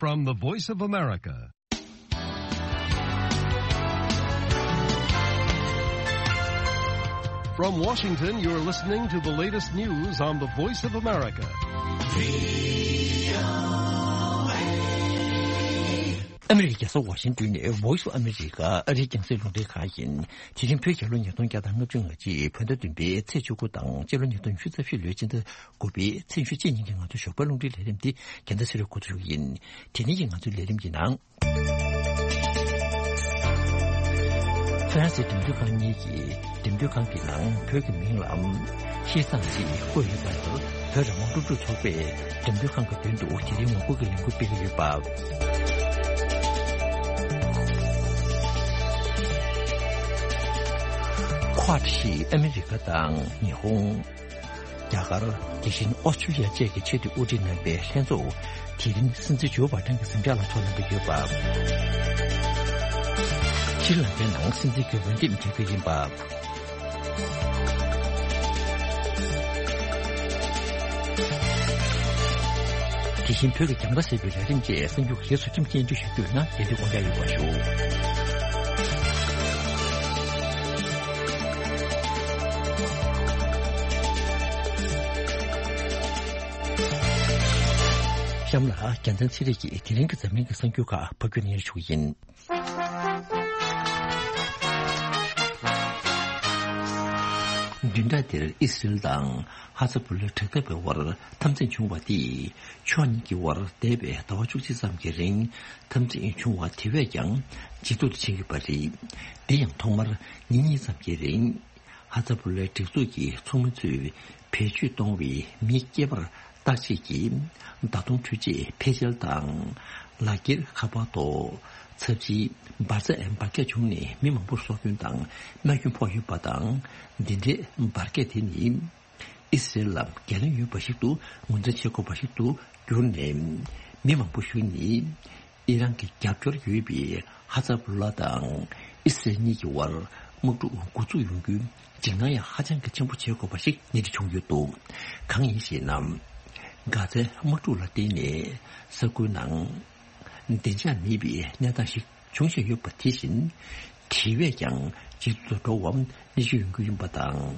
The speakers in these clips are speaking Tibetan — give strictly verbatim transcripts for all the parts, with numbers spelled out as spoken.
From the Voice of America. From Washington, you're listening to the latest news on the Voice of America. ཨ་མི་རི་ཀའི་རྒྱལ་ས་ཝ་ཤིང་ཏོན་ནས་Voice of America ཨ་རིའི་རྒྱང་སྲིང་རླུང་འཕྲིན་ཁང་ཡིན། དེ་རིང་བོད་རྒྱལ་ལོ་ཉིས་སྟོང་བརྒྱ་དང་ལྔ་བཅུ་ང་གཅིག་བོད་ཟླ་བདུན་པའི་ཚེས་བཅུ་དགུ་དང་སྤྱི་ལོ་ཉིས་སྟོང་ཉི་ཤུ་རྩ་བཞི་ལོའི་སྤྱི་ཟླ་དགུ་པའི་ཚེས་ཉི་ཤུ་གཅིག་ཉིན་གྱི་ང་ཚོའི་ཞོགས་པའི་རླུང་འཕྲིན་ལས་རིམ་འདི་རྒྱལ་མཚན་ཚེ་རིང་འགོ་འཛུགས་ཡིན། དེ་རིང་གི་ང་ཚོའི་ལས་རིམ་གྱི་ནང་། ཧྥ་རན་སིའི་འགྲེམས་སྟོན་ཁང་གཉིས་ཀྱིས་འགྲེམས་སྟོན་ཁང་གི་ནང་བོད་ཀྱི་མིང་ལ་ཤིས་ཙང་ཞེས་བཀོད་ཡོད་པ་ལྟར། བོད་རང་དབང་སློབ་ཕྲུག་ཚོགས་པས་འགྲེམས་སྟོན་ཁང་གི་མདུན་དུ་དེ་རིང་ངོ་རྒོལ་གྱི་ལས་འགུལ་སྤེལ་གྱི་ཡོད་པ། Quad ཞེས་ཨ་མི་རི་ཀ་དང་ཉི་ཧོང་། རྒྱ་གར། དེ་བཞིན་ཨོ་སི་ཀྲི་ལི་ཡ་བཅས་ཀྱི་ཆེས་མཐོའི་དབུ་ཁྲིད་རྣམ་པའི་ལྷན་ཚོགས་དེ་རིང་སྲིད་འཛིན་ཇོ་བྷ་ཏན་གྱི་གཟིམ་འཇག་ལ་ཚོགས་གནང་གི་ཡོད་པ། ཤྲི་ལངྐའི་ནང་སྲིད་འཛིན་གྱི་འོས་འདེམས་བྱ་རྒྱུ་ཡིན་པ། དེ་བཞིན་བོད་ཀྱི་རྒྱང་ལྟ་ཟེར་བའི་ལས་རིམ་བཅས་གསར་འགྱུར་རྗེས་སུ་ཁྲིམས་སྙན་སྒྲོན་ཞུ་རྒྱུ་ཡིན་ན་རྒྱལ་དུས་དགོངས་འཇགས་ཡོད་པ་ཞུ། གཤམ་ལ་རྒྱལ་མཚན་ཚེ་རིང་གིས་དེ་རིང་གི་འཛམ་གླིང་གི་གསར་འགྱུར་ཁག་ཕབ་སྒྱུར་གནང་རྒྱུ་ཡིན། བདུན་ཕྲག་འདིར་ཨི་སི་རེལ་དང་ཧ་ཛ་བུ་ལའི་དྲག་འཐབ་པའི་དབར་འཐབ་འཛིང་བྱུང་བ་དེས་ཕྱོགས་གཉིས་ཀྱི་དབར་འདས་པའི་ཟླ་བ་བཅུ་གཅིག་ཙམ་གྱི་རིང་འཐབ་འཛིང་བྱུང་བ་དེ་བས་ཀྱང་ཇེ་སྡུག་ཏུ་ཕྱིན་ཡོད་པ་རེད། དེ་ཡང་ཐོག་མར་ཉིན་གཉིས་ཙམ་གྱི་རིང་ཧ་ཛ་བུ་ལའི་སྒྲིག་འཛུགས་ཀྱི་ཚོགས་མི་ཚོས་བེད་སྤྱོད་གཏོང་བའི་མི་སྐྱེས་པར་བརྟག་དཔྱད་ཀྱིས་མདའ་མདུང་འཕྲུལ་ཆས་ཕལ་ཆེར་དང་། ལག་འཁྱེར་ཁ་པར་ཐོག་ཚབས་ཆེའི་འབར་རྫས་འབར་གས་བྱུང་ནས་མི་མང་པོར་སྲོག་སྐྱོན་དང་རྨས་སྐྱོན་ཕོག་ཡོད་པ་དང་། འདི་འདྲའི་འབར་གས་དེ་ནི་ཨི་སི་རེལ་ལ་འགན་ལེན་ཡོད་པ་ཞིག་ཏུ་ངོས་འཛིན་བྱེད་དགོས་པ་ཞིག་ཏུ་གྱུར་ནས། མི་མང་པོ་ཞིག་ནི་ཨི་རན་གྱི་རྒྱབ་སྐྱོར་ཡོད་པའི་ཧ་ཛ་བུ་ལ་དང་ཨི་སི་རེལ་གཉིས་ཀྱི་དབར་དམག་འཁྲུག་འགོ་འཛུགས་ཡོང་རྒྱུའི་འཇིགས་སྣང་ཡང་ཧ་ཅང་གི་ཆེན་པོ་བྱེད་དགོས་པ་ཞིག་སྙན་སྒྲོན་བྱུང་ཡོད་འདུག། གང་ཡིན་ཞེ་ན། གྷ་ཛའི་དམག་འཁྲུག་ལ་བརྟེན་ནས་ས་ཁུལ་ནང་བདེ་འཇགས་མེད་པའི་གནས་སྟངས་ཤིག་འབྱུང་བཞིན་ཡོད་པ་དེ་བཞིན། དེ་བས་ཀྱང་ཇེ་སྡུག་ཏུ་འགྲོ་བ་མི་ཤེས་ཡོང་རྒྱུ་ཡིན་པ་དང་།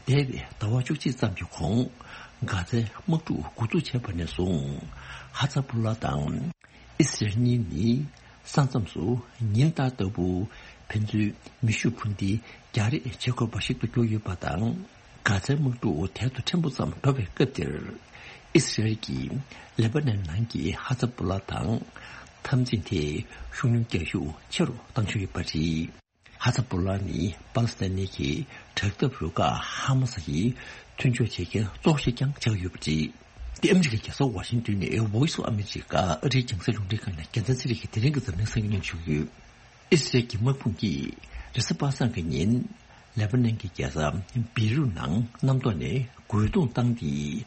འདས་པའི་ཟླ་བ་བཅུ་གཅིག་ཙམ་གྱི་གོང་། གྷ་ཛའི་དམག་འཁྲུག་འགོ་འཛུགས་བྱས་པ་ནས་བཟུང་། ཧ་ཛ་བུ་ལ་དང་ཨི་སི་རེལ་གཉིས་ནི་ས་མཚམས་སུ་ཉིན་ལྟར་ལྟ་བུ་ཕན་ཚུན་མེ་ཤུགས་འཕུར་མདེལ་རྒྱག་རེས་བྱེད་དགོས་པ་ཞིག་ཏུ་གྱུར་ཡོད་པ་དང་། གྷ་ཛའི་དམག་འཁྲུག་དལ་དུ་ཕྲན་བུ་ཙམ་འགྲོ་བའི་སྐབས་དེར། ཨི་སི་རེལ་གྱིས་ལེ་པ་ནན་ནང་གི་ཧ་ཛ་བུ་ལ་དང་འཐབ་འཛིང་དེ་ཤུགས་སྣོན་རྒྱག་ཤུགས་ཆེ་རུ་བཏང་བཞིན་ཡོད་པ་རེད། ཧ་ཛ་བུ་ལ་ནི་པ་ལི་སི་ཐན་གྱི་དྲག་འཐབ་རུ་ཁག་ཧ་མ་སི་ཡི་མཐུན་ཕྱོགས་བྱེད་མཁན་གཙོ་བོ་ཞིག་ཀྱང་ཆགས་ཡོད་པ་རེད། འདི་ཨ་མི་རི་ཀའི་རྒྱལ་ས་ཝ་ཤིང་ཏོན་ནས་Voice of America ཨ་རིའི་རྒྱང་སྲིང་རླུང་འཕྲིན་ཁང་ནས་རྒྱལ་མཚན་ཚེ་རིང་གིས་དེ་རིང་གི་འཛམ་གླིང་གསར་འགྱུར་སྙན་ཞུ་ཡོད། ཨི་སི་རེལ་གྱི་དམག་དཔུང་གིས་རེས་གཟའ་པ་སངས་ཀྱི་ཉིན་ལེ་པ་ནན་གྱི་རྒྱལ་ས་བེ་རུད་ནང་གནམ་ཐོག་ནས་རྒོལ་རྡུང་བཏང་སྟེ།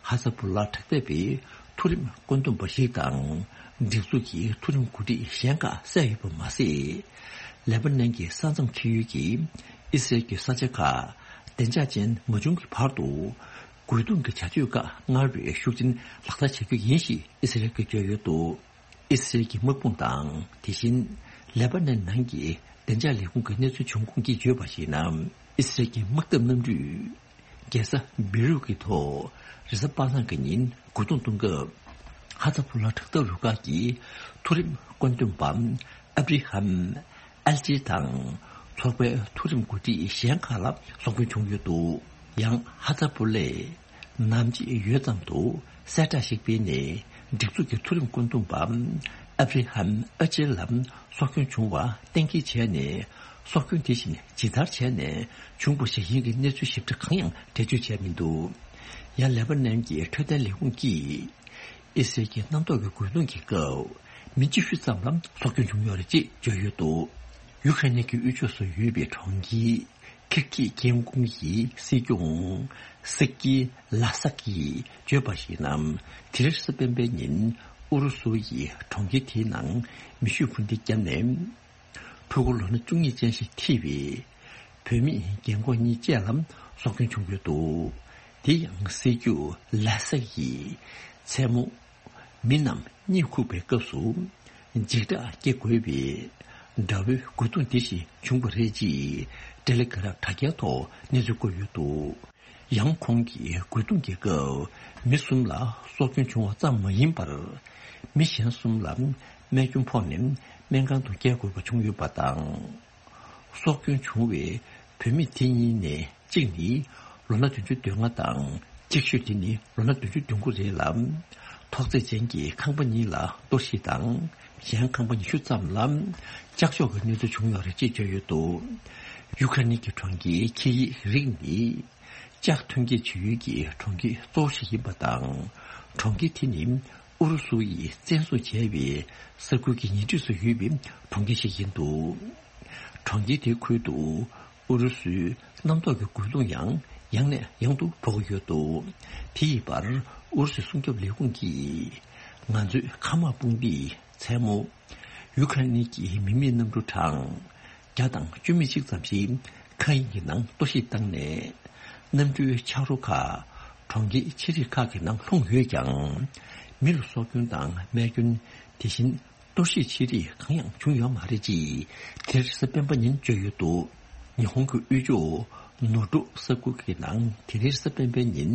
ཧ་ཛ་བུ་ལ་དྲག་འཐབ་པའི་མཐོ་རིམ་བཀོད་འདོམས་པ་ཞིག་དང་སྒྲིག་འཛུགས་ཀྱི་མཐོ་རིམ་འགོ་ཁྲིད་གཞན་ཁག་བསད་ཡོད་པ་མ་ཟད། ལེ་པ་ནན་གྱི་ས་མཚམས་འཁེལ་ཡུལ་གྱི་ཨི་སི་རེལ་གྱི་ས་ཆ་ཁག་བདེ་འཇགས་ཅན་མ་བྱུང་གི་བར་དུ། རྒོལ་རྡུང་གི་བྱ་སྤྱོད་ཁག་སྔར་བས་ཤུགས་ཆེན་ལག་བསྟར་བྱ་རྒྱུ་ཡིན་ཞེས་ཨི་སི་རེལ་གྱིས་བརྗོད་ཡོད་འདུག། ཨི་སི་རེལ་གྱི་དམག་དཔུང་དང་དེ་བཞིན་ལེ་པ་ནན་ནང་གི་བདེ་འཇགས་ལས་ཁུངས་ཀྱི་གནས་ཚུལ་བྱུང་ཁུངས་ཀྱིས་བརྗོད་པར་གཞིགས་ན། ཨི་སི་རེལ་གྱི་དམག་འཐབ་གནམ་གྲུས་རྒྱལ་ས་བེ་རུད་ཀྱི་ཐོག་རེས་གཟའ་པ་སངས་ཀྱི་ཉིན་རྒོལ་རྡུང་གཏོང་སྐབས། ཧ་ཛ་བུ་ལ་དྲག་འཐབ་རུ་ཁག་གི་མཐོ་རིམ་བཀོད་འདོམས་པ་ཨབ་རི་ཧམ་ཨལ་ཅི་དང་ཚོགས་པའི་མཐོ་རིམ་འགོ་ཁྲིད་གཞན་ཁག་ལ་སྲོག་སྐྱོན་བྱུང་ཡོད་འདུག། ཡང་ཧ་ཛ་བུ་ལས་ནམ་ཕྱེད་ཡོལ་ཙམ་དུ་གསལ་བསྒྲགས་ཤིག་སྤེལ་ནས། སྒྲིག་འཛུགས་ཀྱི་མཐོ་རིམ་བཀོད་འདོམས་པ་ཨབ་རི་ཧམ་ཨ་ཅེ་ལ་སྲོག་སྐྱོན་བྱུང་བ་གཏན་འཁེལ་བྱས་ནས། སྲོག་སྐྱོན་དེ་བཞིན་ཇི་ལྟར་བྱས་ནས་བྱུང་བ་ཞིག་ཡིན་གྱི་གནས་ཚུལ་ཞིབ་ཕྲ་གང་ཡང་འགྲེལ་བརྗོད་བྱས་མི་འདུག། ཡང་ལེ་པ་ནན་གྱི་འཕྲོད་བསྟེན་ལས་ཁུངས་ཀྱིས། ཨི་སི་རེལ་གྱི་གནམ་ཐོག་གི་རྒོལ་རྡུང་གི་སྐབས་མི་བཅུ་བཞི་ཙམ་ལ་སྲོག་སྐྱོན་བྱུང་ཡོད་རེད་ཅེས་བརྗོད་ཡོད་འདུག། ཡུ་ཁ་རེན་གྱི་དབུས་ཕྱོགས་སུ་ཡོད་པའི་གྲོང་ཁྱེར་ཁིར་ཀི་ཀེན་ཀུང་གི་སྲིད་སྐྱོང་སི་ཀི་ལ་སག་གིས་བརྗོད་པར་གཞིགས་ན། དེ་རིང་རེས་གཟའ་སྤེན་པའི་ཉིན་ཨུ་རུ་སུ་ཡིས་གྲོང་ཁྱེར་དེའི་ནང་མེ་ཤུགས་འཕུར་མདེལ་བརྒྱབ་ནས། ཕྲུ་གུ་ལོ་ན་བཅུ་གཉིས་ཅན་ཞིག་འཁྲིད་པའི་བུད་མེད་རྒན་གོག་གཉིས་བཅས་ལ་སྲོག་སྐྱོན་བྱུང་ཡོད་འདུག། དེ་ཡང་སྲིད་སྐྱོང་ལ་སག་གིས་མཚན་མོ་ མི་རྣམས་གཉིད་ཁུག་པའི་སྐབས་སུ་འཇིགས་སྐྲག་སྐྱེ་དགོས་པའི་དགྲ་བོའི་རྒོལ་རྡུང་འདི་བཞིན་བྱུང་བ་རེད་ཅེས་ཏེ་ལེ་གྷ་རབ་དྲ་རྒྱའི་ཐོག་གནས་ཚུལ་བཀོད་ཡོད་འདུག། ཡང་ཁོང་གིས་རྒོལ་རྡུང་གི་སྐབས་མི་གསུམ་ལ་སྲོག་སྐྱོན་བྱུང་བ་ཙམ་མ་ཡིན་པར། མི་གཞན་གསུམ་ལ་རྨས་སྐྱོན་ཕོག་ནས་སྨན་ཁང་དུ་བསྐྱལ་དགོས་པ་བྱུང་ཡོད་པ་དང་། སྲོག་སྐྱོན་བྱུང་བའི་བུད་མེད་དེ་གཉིས་ནས་གཅིག་ནི་ལོ་ན་བདུན་ཅུ་དོན་ལྔ་དང་གཅིག་ཤོས་དེ་ནི་ལོ་ན་བདུན་ཅུ་དོན་དགུ་རེད་ལ། ཐོག་བརྩེགས་ཅན་གྱི་ཁང་པ་གཉིས་ལ་གཏོར་བཤིག་དང་། གཞན་ཁང་པ་ཉི་ཤུ་ཙམ་ལ་ལྕགས་ཤོག་གི་གནོད་འཚེ་བྱུང་ཡོད་རེད་ཅེས་བརྗོད་ཡོད་འདུག། ཡུ་ཁ་རེན་གྱི་གྲོང་ཁྱེར་ཁི་ཡིབ་རིགས་ནི་ལྕགས་ཐོན་སྐྱེད་བྱེད་ཡུལ་གྱི་གྲོང་ཁྱེར་གཙོ་བོ་ཞིག་ཡིན་པ་དང་། གྲོང་ཁྱེར་དེ་ནི་ཨུ་རུ་སུ་ཡིས་བཙན་བཟུང་བྱས་པའི་ས་ཁུལ་གྱི་ཉེ་འཁྲིས་སུ་ཡོད་པའི་གྲོང་ཁྱེར་ཞིག་ཡིན་འདུག། གྲོང་ཁྱེར་དེའི་ཁུལ་དུ་ཨུ་རུ་སུའི་གནམ་ཐོག་གི་རྒོལ་རྡུང་ཡང་ཡང་ནས་ཡང་དུ་ཕོག་གི་ཡོད་འདུག། དེ་ཡི་བར་ཨུ་རུ་སུའི་སྲུང་སྐྱོབ་ལས་ཁུངས་ཀྱིས་ང་ཚོའི་མཁའ་དམག་དཔུང་སྡེས་མཚན་མོ་ཡུ་ཁ་རེན་གྱི་མི་མེད་གནམ་གྲུ་གྲངས་བརྒྱ་དང་བཅུ་མེད་གཅིག་ཙམ་ཞིག་མཁའ་དབྱིངས་ཀྱི་ནང་གཏོར་བཤིག་བཏང་ནས། གནམ་གྲུའི་ཆ་རོ་ཁག་གྲོང་ཁྱེར་ཆེ་རིགས་ཁག་གི་ནང་ལྷུང་ཡོད་ཀྱང་། མི་ལ་སྲོག་སྐྱོན་དང་རྨས་སྐྱོན། དེ་བཞིན་གཏོར་བཤིག་ཆེ་རིགས་གང་ཡང་བྱུང་ཡོད་མ་རེད་ཅེས་དེ་རིང་རེས་གཟའ་སྤེན་པ་ཉིན་བརྗོད་ཡོད་འདུག། ཉི་ཧོང་གི་དབུས་ཕྱོགས་ནོ་ཀྲོ་ས་ཁུལ་གྱི་ནང་དེ་རིང་རེས་གཟའ་སྤེན་པའི་ཉིན་